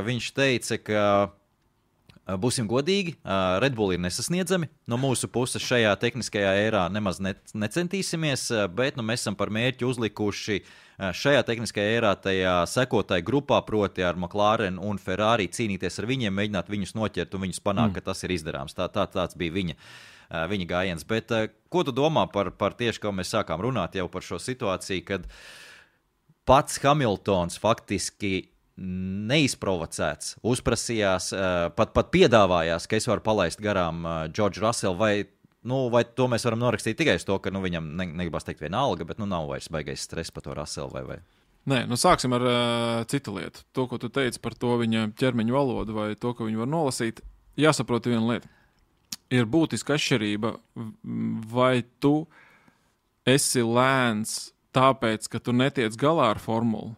Viņš teica, ka būsim godīgi, Red Bull ir nesasniedzami. No mūsu puses šajā tehniskajā ērā nemaz necentīsimies, bet mēs esam par mērķi uzlikuši šajā tehniskajā ērā tajā sekotāju grupā, proti ar McLaren un Ferrari cīnīties ar viņiem, mēģināt viņus noķert un viņus panākt, ka tas ir izdarāms. Tāds bija viņa gājiens. Bet ko tu domā par tieši, kā mēs sākām runāt jau par šo situāciju, kad pats Hamiltons faktiski neizprovocēts, uzprasījās, pat piedāvājās, ka es varu palaist garām George Russell, vai to mēs varam norakstīt tikai uz to, ka viņam negribas teikt viena alga, bet nav vairs baigais stress par to Russell vai? Nē, sāksim ar citu lietu. To, ko tu teici par to viņa ķermeņa valodu vai to, ka viņu var nolasīt, jāsaprot viena lieta. Ir būtiska atšķirība, vai tu esi lēns tāpēc, ka tu netiec galā ar formulu,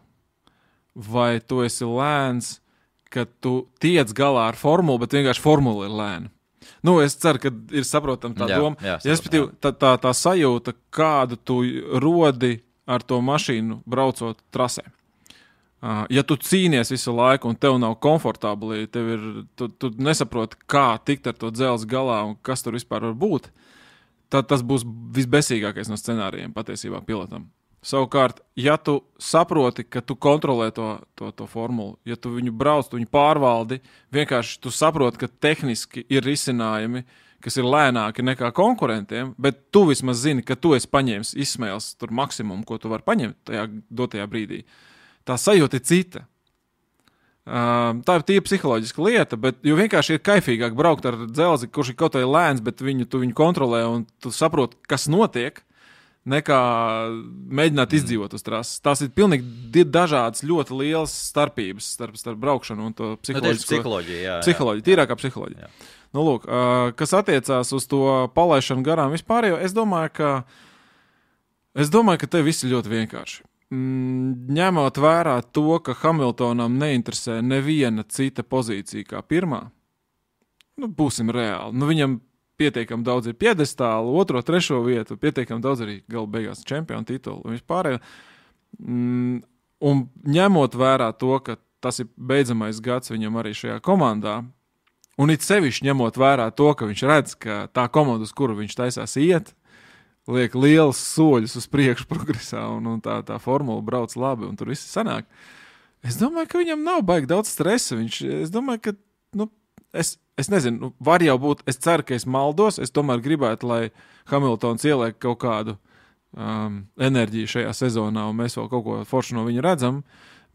vai tu esi lēns, ka tu tiec galā ar formulu, bet vienkārši formula ir lēna. Es ceru, ka ir saprotama tā doma. Respektīvi, tā sajūta, kādu tu rodi ar to mašīnu braucot trasē. Ja tu cīnies visu laiku un tev nav komfortabli, tu nesaproti, kā tikt ar to dzelzi galā un kas tur vispār var būt, tad tas būs visbesīgākais no scenārijiem patiesībā pilotam. Savukārt, ja tu saproti, ka tu kontrolē to formulu, ja tu viņu brauc, tu viņu pārvaldi, vienkārši tu saproti, ka tehniski ir risinājumi, kas ir lēnāki nekā konkurentiem, bet tu vismaz zini, ka tu esi paņēmis izsmēles tur maksimumu, ko tu vari paņemt tajā dotajā brīdī. Tā sajūta ir cita. Tā ir tīra psiholoģiska lieta, bet jo vienkārši ir kaifīgāk braukt ar dzelzi, kurš ir kaut vai lēns, bet tu viņu kontrolē un tu saproti, kas notiek. nekā mēģināt izdzīvot uz trases. Tās ir pilnīgi dažādas, ļoti lielas starpības starp braukšanu un to psiholoģiju. Psiholoģija, tīrākā psiholoģija. Jā. Nu, lūk, kas attiecās uz to palaišanu garām vispār, jo es domāju, ka te viss ir ļoti vienkārši. Ņemot vērā to, ka Hamiltonam neinteresē neviena cita pozīcija kā pirmā, būsim reāli. Viņam pietiekami daudz ir piedestāli, 2., 3. vietu, pietiekami daudz arī gala beigās čempionu titulu un vispārējo. Un ņemot vērā to, ka tas ir beidzamais gads viņam arī šajā komandā, un it sevišķi ņemot vērā to, ka viņš redz, ka tā komanda, uz kuru viņš taisās iet, liek liels soļus uz priekšu progresā, un tā formula brauc labi, un tur viss sanāk. Es domāju, ka viņam nav baigi daudz stresa. Es domāju, ka, es nezinu, var jau būt, es ceru, ka es maldos, es tomēr gribētu, lai Hamiltons ieliek kaut kādu enerģiju šajā sezonā, un mēs vēl kaut ko foršu no viņa redzam,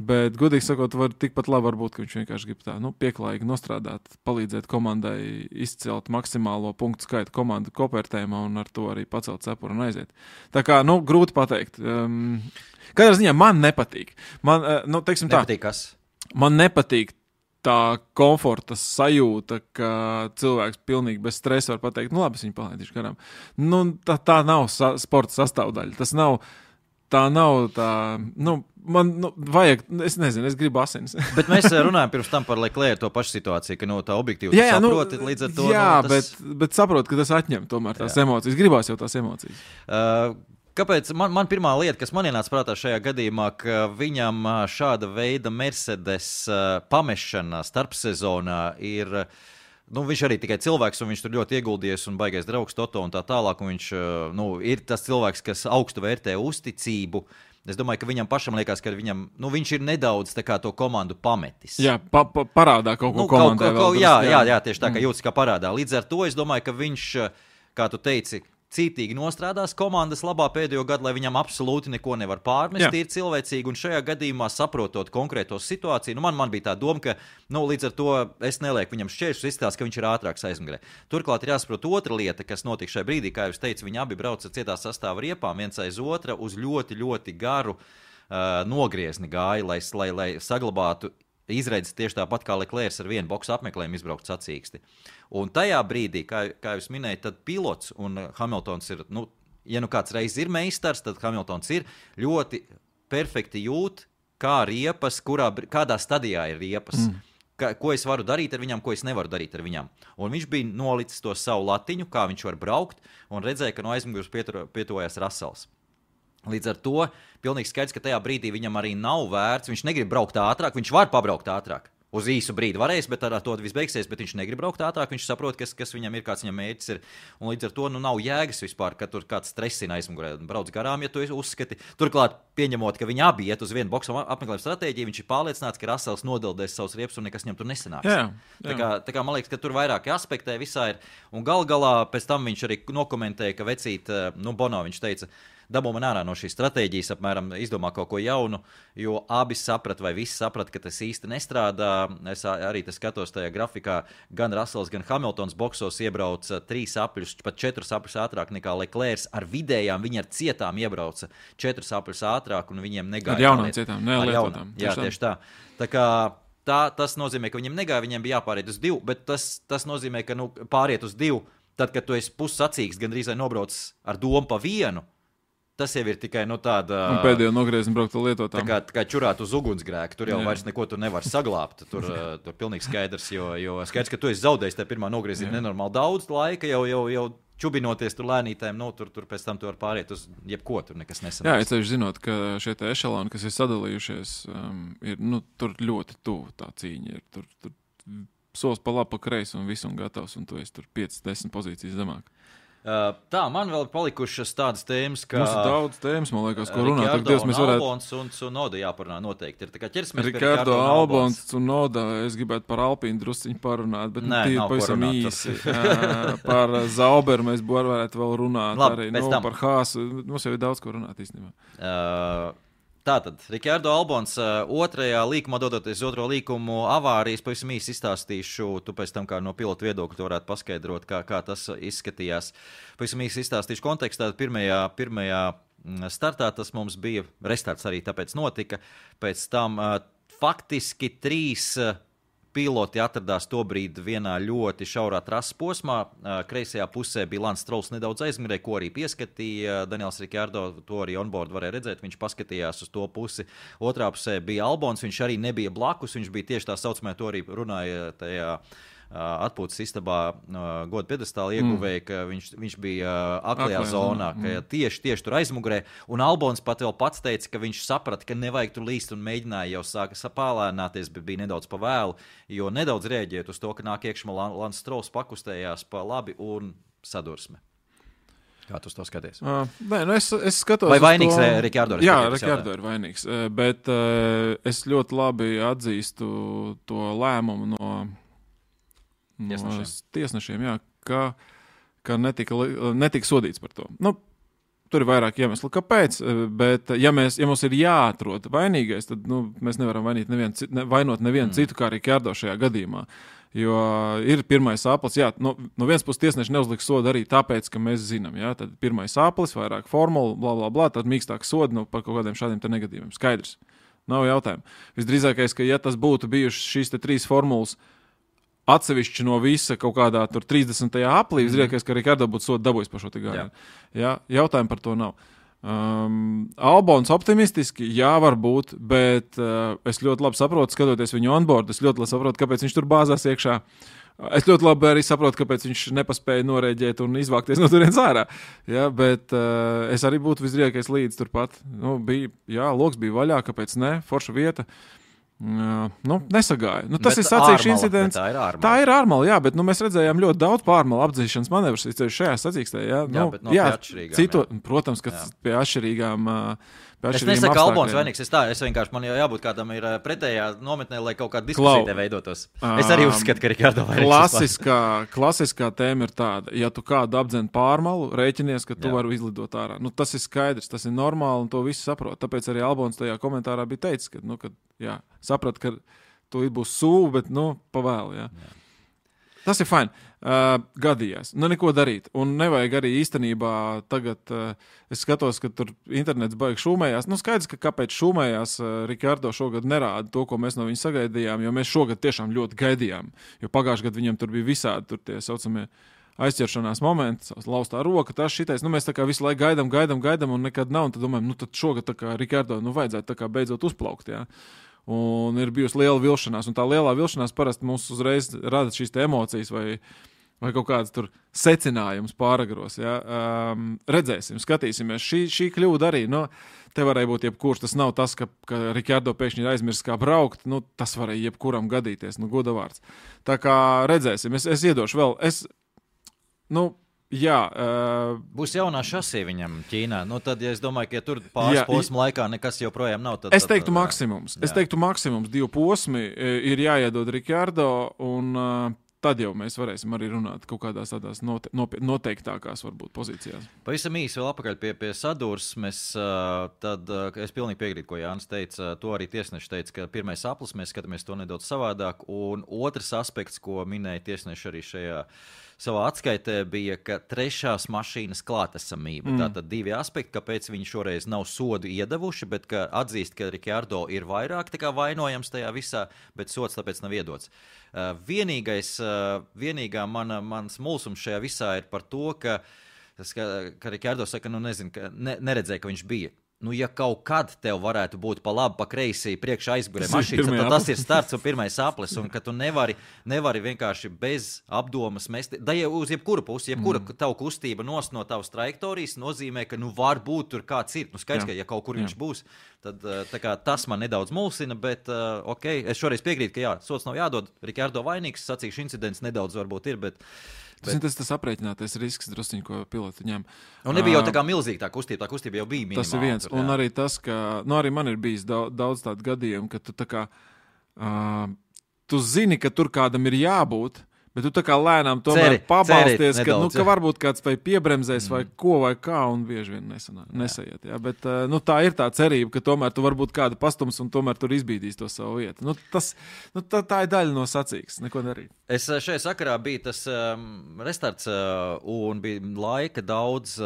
bet, godīgi sakot, tikpat labi varbūt, ka viņš vienkārši grib tā, pieklājīgi nostrādāt, palīdzēt komandai izcelt maksimālo punktu skaitu komandu kopvērtējumā un ar to arī pacelt cepuru un aiziet. Tā kā, grūti pateikt. Katrā ziņā man nepatīk. Nepatīk kas? Man nepatīk tā komforta sajūta, ka cilvēks pilnīgi bez stresa var pateikt, labi, es viņu palaidīšu garām. Tā nav sporta sastāvdaļa. Tas nav, tā nav tā, man vajag, es nezinu, es gribu asins. Bet mēs runājam pirms tam par Leclerc to pašu situāciju, ka tā objektīvi saproti līdz ar to. Jā, bet saprot, ka tas atņem tomēr tās emocijas. Gribās jau tās emocijas. Kāpēc? Man pirmā lieta, kas man ienāca prātā šajā gadījumā, ka viņam šāda veida Mercedes pamešana starpsezonā ir, viņš arī tikai cilvēks, un viņš tur ļoti ieguldījies un baigais draugs Toto un tā tālāk, un viņš ir tas cilvēks, kas augstu vērtē uzticību. Es domāju, ka viņam pašam liekas, ka viņš ir nedaudz tā kā to komandu pametis. Jā, parādā kaut ko komandai. Jā, tieši tā, kā jūtas kā parādā. Līdz ar to es domāju, ka viņš, kā tu teici, cītīgi nostrādās komandas labā pēdējo gadu, lai viņam absolūti neko nevar pārmest, ir cilvēcīgi, un šajā gadījumā saprotot konkrēto situāciju, man bija tā doma, ka, līdz ar to es nelieku viņam šķēršus, izskatās, ka viņš ir ātrāks aizmugurē. Turklāt ir jāsaprot otra lieta, kas notika šajā brīdī, kā jūs teicu, viņi abi brauca cietā sastāva riepām, viens aiz otra uz ļoti, ļoti garu nogriezni gāja, lai saglabātu izredzes tieši tāpat kā Leclerc ar vienu boksu apmeklējumu izbraukt sacīksti. Un tajā brīdī, kā jūs minējat, tad pilots un Hamiltons ir, ja kāds reiz ir meistars, tad Hamiltons ir ļoti perfekti jūt, kā riepas, kādā stadijā ir riepas. Ko es varu darīt ar viņam, ko es nevaru darīt ar viņam. Un viņš bija nolicis to savu latiņu, kā viņš var braukt, un redzēja, ka no aizmugures pietuvojas Russells. Līdz ar to pilnīgi skaidrs, ka tajā brīdī viņam arī nav vērts, viņš negrib braukt ātrāk, viņš var pabraukt ātrāk. Uz īsu brīdi varēs, bet ar to viss beigsies, bet viņš negrib braukt ātrāk, viņš saprot, kas viņam ir, kāds viņam mērķis ir. Un līdz ar to nav jēgas vispār, ka tur kāds stresina aizmugurē, brauc garām, ja tu uzskati. Turklāt, pieņemot, ka viņi abi iet uz vienu boksu apmeklējumu stratēģiju, viņš ir pārliecināts, ka Russells nodildēs savus riepas un nekas viņam tur nesanāks. Jā. Tā kā man liekas, ka tur vairāki aspektē visā ir. Un galā pēc tam viņš arī nokomentēja, ka vecīt, Bono, viņš teica, dabū man ārā no šīs stratēģijas, apmēram izdomā kaut ko jaunu, jo abi saprata, vai visi saprata, ka tas īsti nestrādā. Es arī skatos tajā grafikā, gan Russells, gan Hamiltons boksos iebrauca 3 apļus, pat 4 apļus ātrāk nekā Leclerc. Ar vidējām viņi ar cietām iebrauca 4 apļus ātrāk, un viņiem negāja. Ar jaunām cietām, nelietotām. Jā, tieši tā. Tā kā tas nozīmē, ka viņiem negāja, viņiem bija jāpāriet uz 2, bet tas nozīmē, ka pāriet uz 2, tad, kad tu esi pussacīgs, gandrīz vai nobrauc ar domu pa vienu, tas jau ir tikai tāda... Un pēdējo nogriezni braukt lietotām. Tā kā čurāt uz ugunsgrēku, tur jau vairs neko tu nevar saglābt. Tur pilnīgi skaidrs, jo skaidrs, ka tu esi zaudējis tajā pirmā nogriezienā nenormāli daudz laika, jau čubinoties tur lēnītēm, tur pēc tam tu var pāriet uz jebko, tur nekas nesanāks. Jā, es ceļš zinot, ka šie te ešaloni, kas ir sadalījušies, ir, tur ļoti tuvu tā cīņa ir. Tur solis pa labi, pa kreisi un viss un gatavs, un tu esi tur 5-10 pozīcijas zemāk. Tā, man vēl palikušas tādas tēmas, kā... Mums ir daudz tēmas, man liekas, ko runāt. Rikardo un Albons un Tsunoda jāparunā noteikti. Ir tā kā ķersimies pie Rikardo, Albons, Tsunoda, es gribētu par Alpīnu drusciņu parunāt, bet Nē, tīri pavisam īsi. Par Zauberu mēs varētu vēl runāt. Labi, arī par Haasu. Mums jau ir daudz, ko runāt īstenībā. Tātad, Rikardo Albons otrajā līkumā, dodoties otro līkumu avārijas, pavisam īsi izstāstīšu, tu pēc tam kā no pilota viedokļa tu varētu paskaidrot, kā tas izskatījās. Pavisam īsi izstāstīšu kontekstā, pirmajā startā tas mums bija, restarts arī tāpēc notika, pēc tam faktiski 3 piloti atradās tobrīd vienā ļoti šaurā trases posmā. Kreisajā pusē bija Lance Strolls nedaudz aizmirēja, ko arī pieskatīja Daniels Ricciardo, to arī onboard varēja redzēt, viņš paskatījās uz to pusi. Otrā pusē bija Albons, viņš arī nebija blakus, viņš bija tieši tā saucamē, to arī runāja tajā atpūtas istabā goda piedestāla ieguvēja, ka viņš bija aklajā zonā, ka tieši tur aizmugurē, un Albons pat vēl pats teica, ka viņš saprata, ka nevajag tur līst un mēģināja jau sāka sapālēnāties, bet bija nedaudz pa vēlu, jo nedaudz rēģēt uz to, ka nāk iekšmā Lance Strolls pakustējās pa labi un sadursme. Kā tu to skaties? Nē, nu es skatos. Vai vainīgs Rikardo? Jā, Rikardo ir vainīgs, bet es ļoti labi atzīstu to lēmumu no tiesnešiem, jā, ka netika sodīts par to. Nu, tur ir vairāk iemeslu, kāpēc, bet ja mums ir jāatrod vainīgais, tad mēs nevaram vainot nevienu citu kā Rikardo šajā gadījumā. Jo ir pirmais aplis, jā, no vienas puses tiesneši neuzliks sodu arī tāpēc, ka mēs zinām, jā, tad pirmais aplis, vairāk formulu, bla, bla, bla, tad mīkstāk sodu par kaut kādiem šādiem te negadījumiem. Skaidrs, nav jautājumu. Visdrīzākais, ka ja tas būtu bijušas šīs te 3 formulas atsevišķi no visa kaut kādā tur 30. aplī, visdrīzākais, ka Rikardo būtu sodu dabūjis par šo te gājienu. Jā, jautājumu par to nav. Albons optimistiski, jā, varbūt, bet es ļoti labi saprotu, skatoties viņu onboard, es ļoti labi saprotu, kāpēc viņš tur bāzās iekšā. Es ļoti labi arī saprotu, kāpēc viņš nepaspēja norēģēt un izvākties no turienes ārā. Jā, bet es arī būtu visdrīzākais līdz turpat. Loks bija vaļā, kāpēc ne, forša vieta. Nesagāja. Tas ir sacīkšu incidents. Tā ir ārmala, jā, bet mēs redzējām ļoti daudz pārmala apdzīšanas manevrus šajā sacīkstē. Protams, ka pie atšķirīgām Es nesaku, ka Albons vainīgs. Es vienkārši man jau jābūt kādam ir pretējā nometnē, lai kaut kāda diskusija te veidotos. Es arī uzskatu, ka Rikardo vainīgs. Klasiskā tēma ir tāda, ja tu kādu apdzen pārmalu, rēķinies, ka tu vari izlidot ārā. Tas ir skaidrs, tas ir normāli un to visi saprot. Tāpēc arī Albons tajā komentārā bija teicis, ka saprat, ka tu būs sūva, bet pa vēlu. Jā. Tas ir fajn. Gadījās. Neko darīt. Un nevajag arī īstenībā tagad, es skatos, ka tur internets baigi šūmējās. Skaidrs, ka kāpēc šūmējās Rikardo šogad nerāda to, ko mēs no viņa sagaidījām, jo mēs šogad tiešām ļoti gaidījām. Jo pagājušajā gadā viņam tur bija visādi tur tie saucamie aizķeršanās momenti, laustā roka, tas šitais. Mēs tā kā visu laiku gaidām un nekad nav. Un tad domājam, tad šogad tā kā Rikardo vajadzētu tā kā beidzot uzplaukt, jā. Un ir bijusi liela vilšanās, un tā lielā vilšanās parasti mums uzreiz rada šīs emocijas vai kaut kāds tur secinājums pāragros. Ja? Redzēsim, skatīsimies. Šī kļūda arī, te varēja būt jebkurš. Tas nav tas, ka Rikardo pēkšņi ir aizmirsis kā braukt, tas varēja jebkuram gadīties, goda vārds. Tā kā redzēsim, es iedošu vēl, būs jaunā šasija viņam Ķīnā. Tad, ja es domāju, ka ja tur pāris posmu laikā nekas joprojām nav, tad... Es teiktu maksimums. Es teiktu maksimums 2 posmi ir jāiedod Rikardo, un tad jau mēs varēsim arī runāt kaut kādās tādās noteiktākās varbūt pozīcijās. Pavisam īsi vēl apakaļ pie sadursmes, tad es pilnīgi piekrītu, ko Jānis teica. To arī tiesneši teica, ka pirmais aplis, mēs skatāmies to nedaudz savādāk, un otrs aspekts, ko minēja tiesneši arī šajā savā atskaitē, bija, ka trešās mašīnas klātesamība. Tātad 2 aspekti, kāpēc viņi šoreiz nav sodu iedevuši, bet ka atzīst, ka Rikardo ir vairāk tā kā vainojams tajā visā, bet sods tāpēc nav iedots. Vienīgā mans mulsums šajā visā ir par to, ka Rikardo saka, neredzēja, ka viņš bija. Ja kaut kad tev varētu būt pa labi, pa kreisi priekšā aizgurē mašīnas, tad tas ir starts un pirmais aplis, un ka tu nevari vienkārši bez apdomas mest. Da jau uz jebkuru pusi, jebkura tavu kustība no tavas trajektorijas nozīmē, ka var būt tur kāds ir. Skaidrs, ka ja kaut kur viņš būs, tad tā kā tas man nedaudz mulsina, bet es šoreiz piekrītu, ka sods nav jādod. Rikardo vainīgs, sacīkšu incidents nedaudz varbūt ir, bet... Tas aprēķinātais risks drusciņ, ko piloti ņem. Un nebija jau tā kā milzīga tā kustība jau bija minimāla. Tas ir viens, un arī tas, ka, arī man ir bijis daudz tādu gadījumu, ka tu tā kā, tu zini, ka tur kādam ir jābūt, Bet tu tā kā lēnām tomēr pabalsties, nedaudz, ka varbūt kāds vai piebremzēs vai ko vai kā, un bieži vien nesaiet. Jā. Bet tā ir tā cerība, ka tomēr tu varbūt kādu pastums un tomēr tur izbīdīs to savu vietu. Tā ir daļa no sacīkstes, neko darīt. Es šajā sakarā bija tas restarts un bija laika daudz.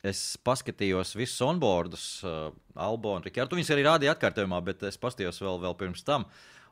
Es paskatījos visus onboardus, Albonu, Rikardu. Viņus arī rādīja atkārtojumā, bet es paskatījos vēl pirms tam.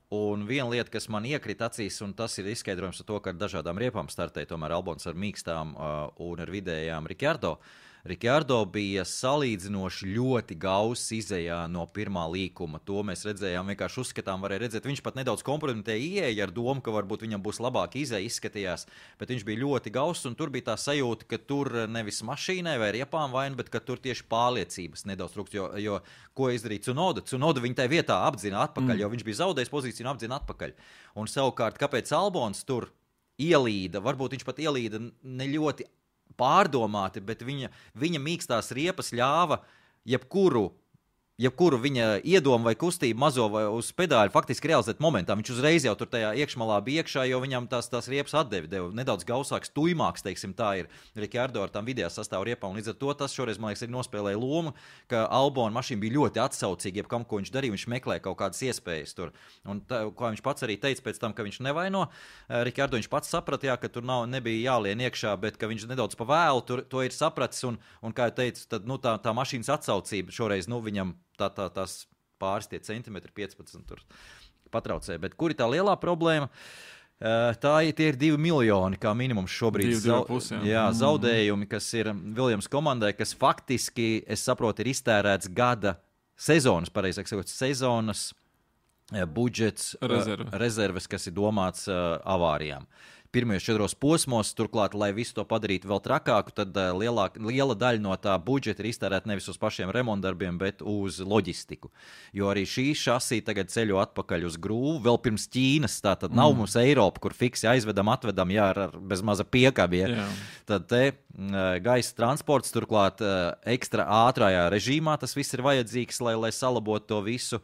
Un viena lieta, kas man iekrita acīs, un tas ir izskaidrojums ar to, ka ar dažādām riepām startēja tomēr Albons ar mīkstām un ar vidējām Rikardo. Rikardo bija salīdzinoši ļoti gauss izejā no pirmā līkuma. To mēs redzējām, vienkārši uzskatām, varēja redzēt. Viņš pat nedaudz kompromitēja ieeja ar domu, ka varbūt viņam būs labāk izeja, izskatījās, bet viņš bija ļoti gauss, un tur bija tā sajūta, ka tur nevis mašīnai vai riepām vaina, bet ka tur tieši pārliecības nedaudz trūkst, jo ko izdarīja Tsunoda? Tsunoda viņa tai vietā apdzina atpakaļ, jo viņš bija zaudējis pozīciju un apdzina atpakaļ. Un savukārt, kāpēc Albons tur ielīda, varbūt viņš pat ielīda ne ļoti pārdomāti, bet viņa mīkstās riepas ļāva jebkuru viņa iedomu vai kustību mazo vai uz pedāļu faktiski realizēt momentā. Viņš uzreiz jau tur tajā iekšmalā bija iekšā, jo viņam tās riepas deva nedaudz gausāks, tuimāks, teiksim, tā ir Rikardo ar tām vidējā sastāvu riepām. Līdz ar to tas šoreiz, man liekas, arī nospēlēja lomu, ka Albona mašīna bija ļoti atsaucīga, jebkam, ko viņš darīja, viņš meklēja kaut kādas iespējas tur. Un tā, kā viņš pats arī teica pēc tam, ka viņš nevaino Rikardo, viņš pats saprata, jā, ka tur nebija jālien iekšā, bet ka viņš nedaudz pa vēlu to ir sapratis, un kā jau teicu, tad, tā mašīnas atsaucība šoreiz, viņam tās pāris tie centimetri, 15 tur patraucēja. Bet kur ir tā lielā problēma? Tie ir 2 miljoni kā minimums šobrīd zaudējumi, kas ir Williams komandai, kas faktiski, es saprotu, ir iztērēts gada sezonas, pareizāk sakot, sezonas budžets, rezerves, kas ir domāts avārijām. Pirmajos 4 posmos, turklāt, lai visu to padarītu vēl trakāku, tad liela daļa no tā budžeta ir iztērēta nevis uz pašiem remontdarbiem, bet uz loģistiku. Jo arī šī šasī tagad ceļo atpakaļ uz grūvu, vēl pirms Ķīnas, tā tad nav mums Eiropa, kur fiksi aizvedam, atvedam, ar bez maza piekabie. Tad te gaisa transports, turklāt ekstra ātrājā režīmā tas viss ir vajadzīgs, lai salabotu to visu.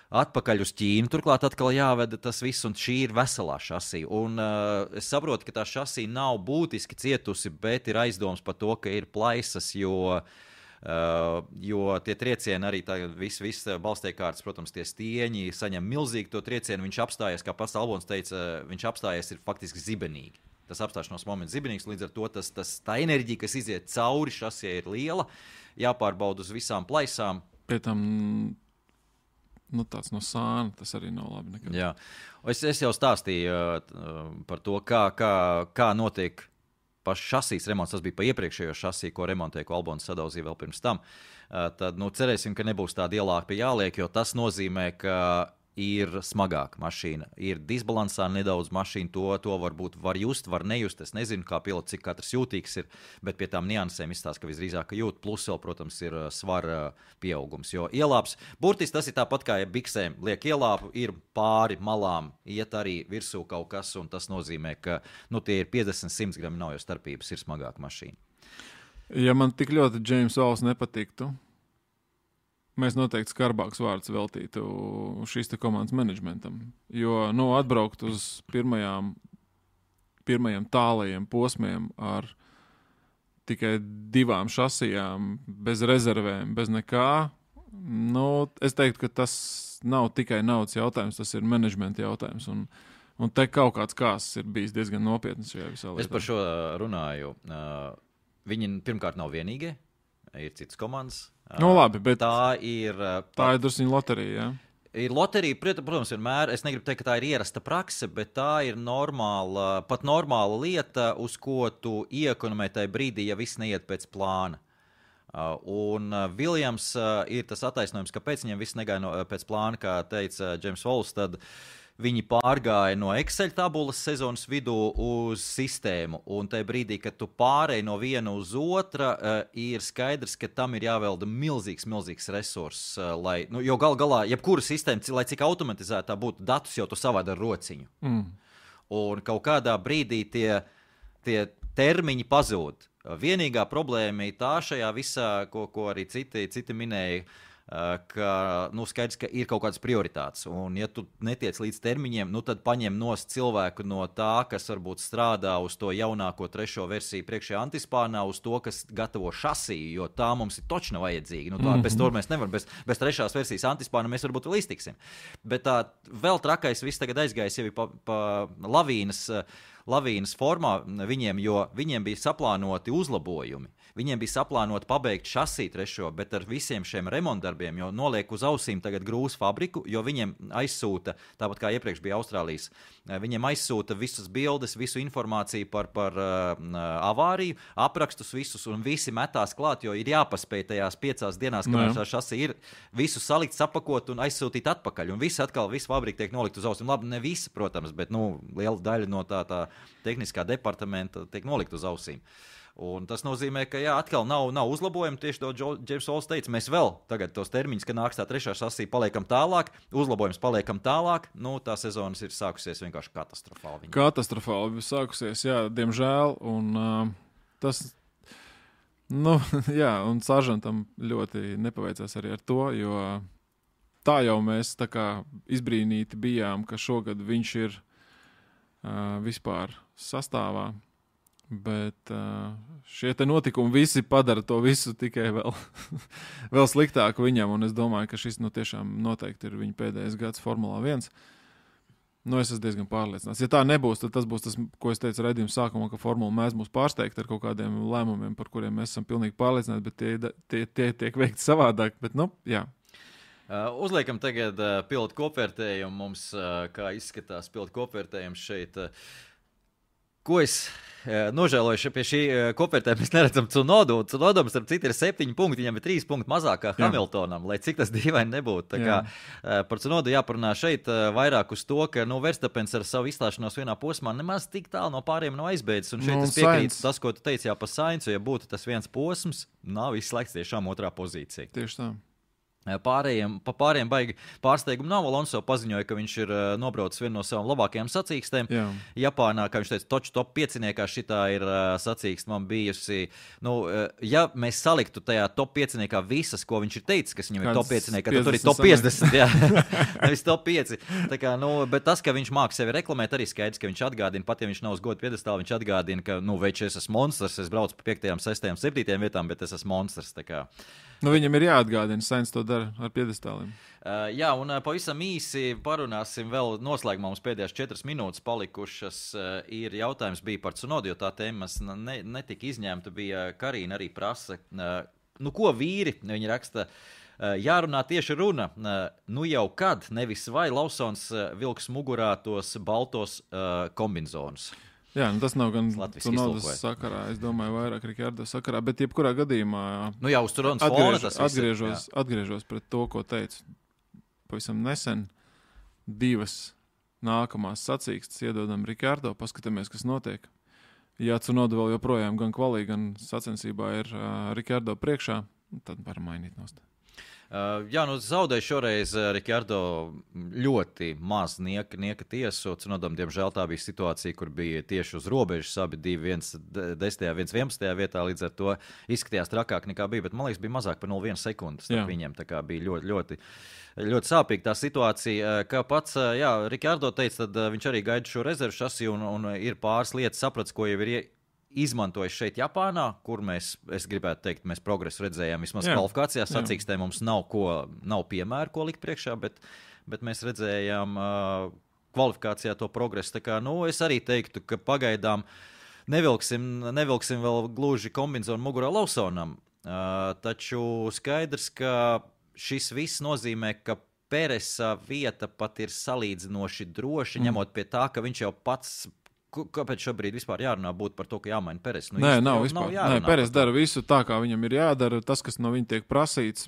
Atpakaļ uz Ķīnu, turklāt atkal jāveda tas viss, un šī ir veselā šasī. Un es saprotu, ka tā šasī nav būtiski cietusi, bet ir aizdoms par to, ka ir plaisas, jo tie triecieni arī viss balstiekārtas, protams, tie stieņi saņem milzīgi to triecienu. Viņš apstājies, kā pats Albons teica, viņš apstājies ir faktiski zibenīgi. Tas apstāšanās moments zibenīgs, līdz ar to tā enerģija, kas iziet cauri šasī, ir liela, jāpārbauda uz visām plaisām. Pie tam tāds no sāna, tas arī nav labi nekad. Jā. Es jau stāstīju par to, kā notiek pašs šasīs remonts. Tas bija pa iepriekšējo šasī, ko remontēja, ko Albons sadauzīja vēl pirms tam. Tad cerēsim, ka nebūs tāda ielāka jāliek, jo tas nozīmē, ka ir smagāka mašīna. Ir disbalansā nedaudz mašīna, to varbūt var just, var nejust. Es nezinu, kā pilots, cik katrs jūtīgs ir, bet pie tām niansēm izstāsta, ka visdrīzāk jūt. Plus vēl, protams, ir svara pieaugums, jo ielāps, burtiski tas ir tāpat kā biksēm. Liek ielāpu, ir pāri malām, iet arī virsū kaut kas, un tas nozīmē, ka tie ir 50-100 grami, nav jau starpības, ir smagāka mašīna. Ja man tik ļoti James Walls nepatiktu, mēs noteikti skarbāks vārds veltītu šīs te komandas menedžmentam. Jo, atbraukt uz pirmajiem tālajiem posmiem ar tikai 2 šasijām, bez rezervēm, bez nekā, es teiktu, ka tas nav tikai naudas jautājums, tas ir menedžmenta jautājums. Un te kaut kāds kāsts ir bijis diezgan nopietns šajā visā lietā. Es par šo runāju. Viņi pirmkārt nav vienīgie, ir citas komandas. Labi, bet tā ir drusciņa loterija, jā? Ir loterija, protams, vienmēr. Es negribu teikt, ka tā ir ierasta prakse, bet tā ir pat normāla lieta, uz ko tu iekonomē tajā brīdī, ja viss neiet pēc plāna. Un Williams ir tas attaisnojums, kāpēc viņam viss negāja pēc plāna, kā teica James Walls, tad viņi pārgāja no Excel tabulas sezonas vidū uz sistēmu, un tajā brīdī, kad tu pārēji no viena uz otra, ir skaidrs, ka tam ir jāvelda milzīgs resurss, jo galā, jebkura sistēma, lai cik automatizētā būtu, datus jau tu savādi ar rociņu. Un kaut kādā brīdī tie termiņi pazūd. Vienīgā problēma ir tā šajā visā, ko arī citi minēja, ka, skaidrs, ka ir kaut kādas prioritātes. Un, ja tu netiec līdz termiņiem, tad paņem nost cilvēku no tā, kas varbūt strādā uz to jaunāko 3. versiju priekšējā antispānā, uz to, kas gatavo šasiju, jo tā mums ir točna vajadzīga. Bez to mēs nevaram, bez 3. versijas antispāna mēs varbūt vēl iztiksim. Bet tā vēl trakais viss tagad aizgājis jau pa lavīnas formā viņiem, jo viņiem bija saplānoti uzlabojumi. Viņiem bija saplānoti pabeigt šasiju 3, bet ar visiem šiem remontdarbiem, jo noliek uz ausīm tagad grūs fabriku, jo viņiem aizsūta, tāpat kā iepriekš bija Austrālijas, viņiem aizsūta visas bildes, visu informāciju par avāriju, aprakstus visus, un visi metās klāt, jo ir jāpaspēj tajās 5 dienās, kamēr tā šasija ir, visu salikt, sapakot un aizsūtīt atpakaļ. Un visu fabrika tiek nolikt uz ausīm. Labi, ne visi, protams, bet liela daļa no tā tehniskā departamenta tiek nolikt uz ausīm. Un tas nozīmē, ka atkal nav uzlabojumi. Tieši to Džeims Ols teica, mēs vēl tagad tos termiņus, kad nāks tā 3. šasija, paliekam tālāk, uzlabojums paliekam tālāk. Tā sezonas ir sākusies vienkārši katastrofāli. Katastrofāli sākusies, jā, diemžēl. Un tas, un Saržantam ļoti nepaveicās arī ar to, jo tā jau mēs tā kā izbrīnīti bijām, ka šogad viņš ir vispār sastāvā. Bet šie te notikumi visi padara to visu tikai vēl sliktāku viņam, un es domāju, ka šis tiešām noteikti ir viņa pēdējais gads Formulā 1. Es esmu diezgan pārliecināts. Ja tā nebūs, tad tas būs tas, ko es teicu raidījuma sākumā, ka Formula mēs mūs pārsteigt ar kaut kādiem lēmumiem, par kuriem mēs esam pilnīgi pārliecināti, bet tie tiek veikti savādāk. Bet, jā. Uzliekam tagad pilotu kopvērtējumu. Mums, kā izskatās pilotu kopvērtējums šeit, ko es nožēloju pie šī kopvērtējuma, mēs neredzam Tsunodu. Tsunodam, starp citu, ir 7 punkti, viņam ir 3 punkti mazāk kā Hamiltonam, lai cik tas dīvaini nebūtu. Tā kā par Tsunodu jāparunā šeit vairāk uz to, ka Verstapens ar savu izstāšanos vienā posmā nemaz tik tālu no pāriem nav aizbeidzis. Un šeit es piekrītu tas, ko tu teici par Sainzu, ja būtu tas viens posms, nav izslēgts tiešām 2. pozīcija. Tieši tā. Pārējiem baigi pārsteigumu nav. Alonso paziņoja, ka viņš ir nobraucis vienu no savām labākajām sacīkstēm. Japānā, kā viņš teica, top 5 šitā ir sacīkste man bijusi. Ja mēs saliktu tajā top 5 visas, ko viņš ir teicis, kas viņam ir top 5, tad tur ir top 50. Nevis top 5. Tā kā, bet tas, ka viņš māk sevi reklamēt, arī skaidrs, ka viņš atgādina, pat ja viņš nav uz godu piedestālu, viņš atgādina, ka, veči, es esmu monstrs, es braucu pa 5., 6., 7. vietām, bet es esmu monstrs. Tā kā. Viņam ir jāatgādina, Sainz to dara ar piedestāliem. Jā, un pavisam īsi parunāsim vēl noslēgumā. Mums pēdējās 4 minūtes palikušas. Ir jautājums bija par Tsunodu, jo tā tēmas netika izņemta. Bija Karīna arī prasa, ko vīri, viņi raksta, jārunā tieši runa. Jau kad, nevis vai Lausons vilks mugurā tos baltos kombinzonus. Jā, tas nav gan Tsunodas sakarā, es domāju, vairāk Rikardo sakarā, bet jebkurā gadījumā uz Tsunodas fona tas atgriežos pret to, ko teicu pavisam nesen. 2 nākamās sacīkstes iedodam Rikardo, paskatāmies, kas notiek. Ja Tsunoda vēl joprojām gan kvalī, gan sacensībā ir Rikardo priekšā, tad varam mainīt nost. Zaudēja šoreiz Rikardo ļoti maz nieka tiesu. Tsunodam, diemžēl, tā bija situācija, kur bija tieši uz robežas, abi 2, viens 10., viens 11. vietā, līdz ar to izskatījās trakāk nekā bija, bet man liekas, bija mazāk par 0,1 sekundes starp viņiem, tā kā bija ļoti, ļoti sāpīga tā situācija. Kā pats, Rikardo teica, tad viņš arī gaida šo rezervu šasiju un ir pāris lietas saprats, ko jau ir izmantojis šeit Japānā, kur es gribētu teikt, mēs progresu redzējām vismaz kvalifikācijās. Sacīkstē mums nav piemēru, ko likt priekšā, bet mēs redzējām kvalifikācijā to progresu. Tā kā, es arī teiktu, ka pagaidām nevilksim vēl gluži kombinzonu mugurā Lausonam, taču skaidrs, ka šis viss nozīmē, ka Peresa vieta pat ir salīdzinoši droši, ņemot pie tā, ka viņš jau pats. Kāpēc šobrīd vispār jārunā būtu par to, ka jāmaina Peres? Nav vispār. Peres dara visu tā, kā viņam ir jādara. Tas, kas no viņa tiek prasīts,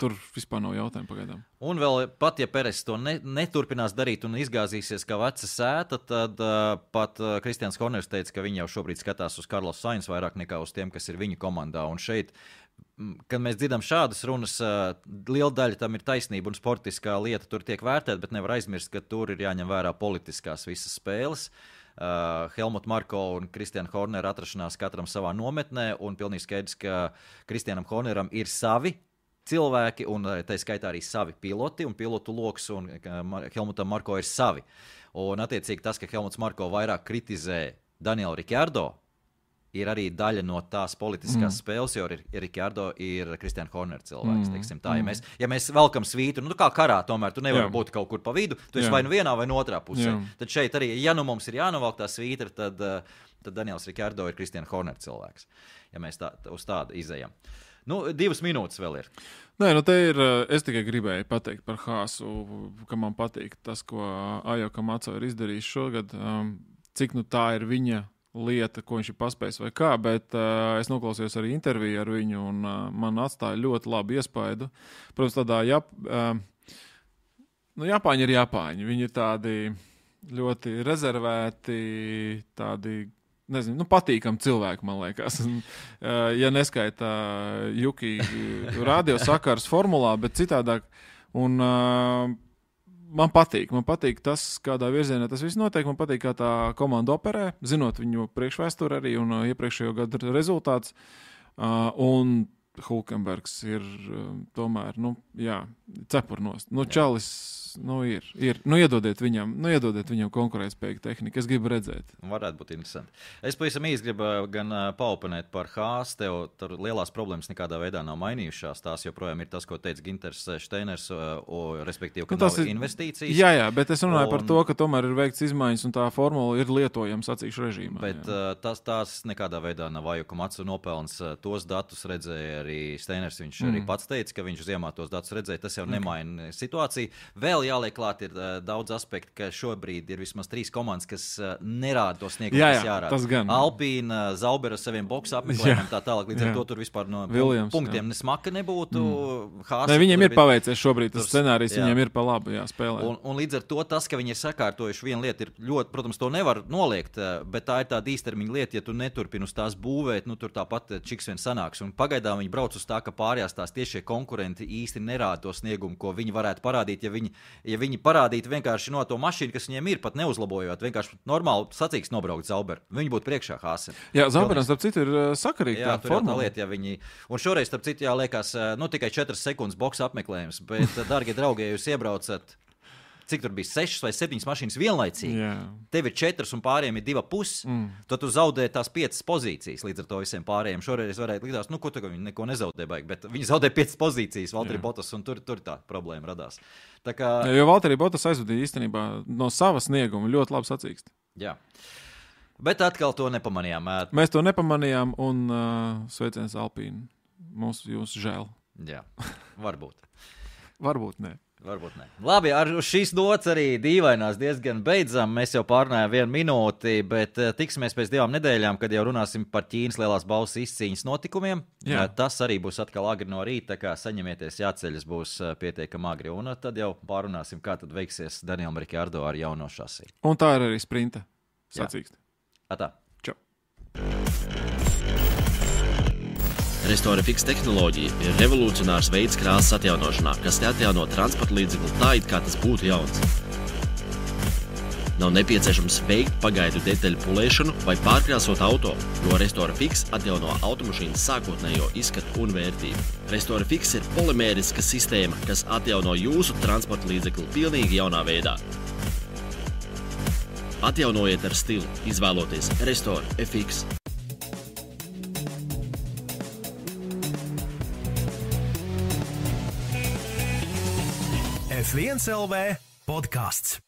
tur vispār nav jautājumu pagaidām. Un vēl pat, ja Peres to neturpinās darīt un izgāzīsies kā veca sēta, tad pat Kristians Horners teica, ka viņi jau šobrīd skatās uz Carlos Sainz vairāk nekā uz tiem, kas ir viņu komandā. Un šeit, kad mēs dzirdam šādas runas, liela daļa tam ir taisnība un sportiskā lieta tur tiek vērtēta, bet nevar aizmirst, ka tur ir jāņem vērā politiskās visas spēles. Helmut Marko un Kristiāna Hornera atrašanās katram savā nometnē, un pilnīgi skaidrs, ka Kristiānam Horneram ir savi cilvēki, un tā skaitā arī savi piloti, un pilotu loks, un Helmutam Marko ir savi. Un attiecīgi tas, ka Helmuts Marko vairāk kritizē Danielu Ricciardo, ir arī daļa no tās politiskās spēles, jo Ricciardo ir Christian Horner cilvēks, teiksim tā. Ja mēs velkam svītru, kā karā, tomēr tu nevari būt kaut kur pa vidu, tu esi vai nu vienā, vai no otrā pusē. Tad šeit arī, ja nu mums ir jānovelk tā svītra, tad Daniels Ricciardo ir Christian Horner cilvēks, ja mēs uz tādu izejam. 2 minūtes vēl ir. Nē, te ir, es tikai gribēju pateikt par Haasu, ka man patīk tas, ko Ajo Kamaco ir izdarījis šogad, cik tā ir viņa lieta, ko viņš ir paspējis vai kā, bet es noklausījos arī interviju ar viņu, un man atstāja ļoti labu iespaidu. Protams, tādā Japāņi ir Japāņi. Viņi ir tādi ļoti rezervēti, tādi, nezinu, patīkami cilvēki, man liekas. Ja neskaita Juki radio sakars formulā, bet citādāk. Un man patīk tas, kādā virzienā tas viss notiek. Man patīk, kā tā komanda operē, zinot viņu priekšvēsturi arī un iepriekšējo gadu rezultāts. Un Hulkenbergs ir tomēr, cepurnost. Čalis, ir. Iedodiet viņam konkurētspējīgu tehniku. Es gribu redzēt. Varētu būt interesanti. Es pavisam īsti gribu gan paoponēt par Haasu. Tev tur lielās problēmas nekādā veidā nav mainījušās. Tās joprojām ir tas, ko teica Ginters Steiners, respektīvi, ka nav investīcijas. Jā, bet es runāju par to, ka tomēr ir veikts izmaiņas un tā formula ir lietojama sacīkšu režīmā. Bet tās nekādā veidā nav Ajo Kamaco nopelns. Tos datus redzēja arī Steiners. Viņš arī pats teica, ka viņš ziemā tos datus redzēja. Tas jau nemaina situāciju. Vēl jāliek klāt ir daudz aspektu, ka šobrīd ir vismaz 3 komandas, kas nerāda to sniegumu, kas jārāda. Alpīna, Zauber ar saviem boksu apmeklējumiem, tā tālāk, līdz ar to tur vispār no Williams, punktiem nesmaka nebūtu. Ne, viņiem ir paveicies šobrīd, tas scenārijs viņiem ir pa labu spēlē. Un līdz ar to tas, ka viņi ir sakārtojuši vienu lietu, ir ļoti, protams, to nevar noliegt, bet tā ir tāda īstermiņa lieta, ja tu neturpini uz tās būvēt, tur tāpat čiks vien sanāks. Un pagaidām viņi brauc uz tā, ka pārējās tās tiešie konkurenti īsti nerāda to sniegumu, ko viņi varētu parādīt, ja viņi parādītu vienkārši no to mašīnu, kas viņiem ir, pat neuzlabojot, vienkārši normāli sacīks nobraukt Zauberu. Viņi būtu priekšā Haasam. Jā, Zauberam, starp citu, ir sakarīgi tā formula. Tā lieta, un šoreiz, starp citu, liekas, tikai 4 sekundes boksa apmeklējums, bet, dargie draugi, ja jūs iebraucat, cik tur bija 6 vai 7 mašīnas vienlaicīgi, tev ir 4 un pārējiem ir 2,5, tad tu zaudē tās 5 pozīcijas līdz ar to visiem pārējiem. Šoreiz varētu likās, ko tagad viņi neko nezaudē baigi, bet viņi zaudē 5 pozīcijas, Valtteri Bottas, un tur tā problēma radās. Tā kā... Jo Valtteri Bottas aizvadīja īstenībā no sava snieguma ļoti labi sacīkst. Jā. Bet atkal to nepamanījām. Mēs to nepamanījām, un sveiciens Alpīnu. Mums jūs žēl. Jā, varbūt. Varbūt ne. Varbūt ne. Labi, ar šīs nots arī dīvainās diezgan beidzam. Mēs jau pārnājām 1 minūti, bet tiksimies pēc 2 nedēļām, kad jau runāsim par Ķīnas lielās balvas izcīņas notikumiem. Jā. Tas arī būs atkal agri no rīta, tā kā saņemieties, jāceļas būs pietiekami agri. Un tad jau pārunāsim, kā tad veiksies Danielam Ricciardo ar jauno šasi. Un tā ir arī sprinta sacīkst. Atā. Čau. Restore Fix tehnoloģija ir revolucionārs veids krāsas atjaunošanā, kas atjauno transporta līdzekli tā, it kā tas būtu jauns. Nav nepieciešams veikt pagaidu detaļu pulēšanu vai pārkrāsot auto, jo Restore Fix atjauno automašīnas sākotnējo izskatu un vērtību. Restore Fix ir polimēriska sistēma, kas atjauno jūsu transporta līdzekli pilnīgi jaunā veidā. Atjaunojiet ar stilu, izvēloties Restore FX. F1 LV podcasts.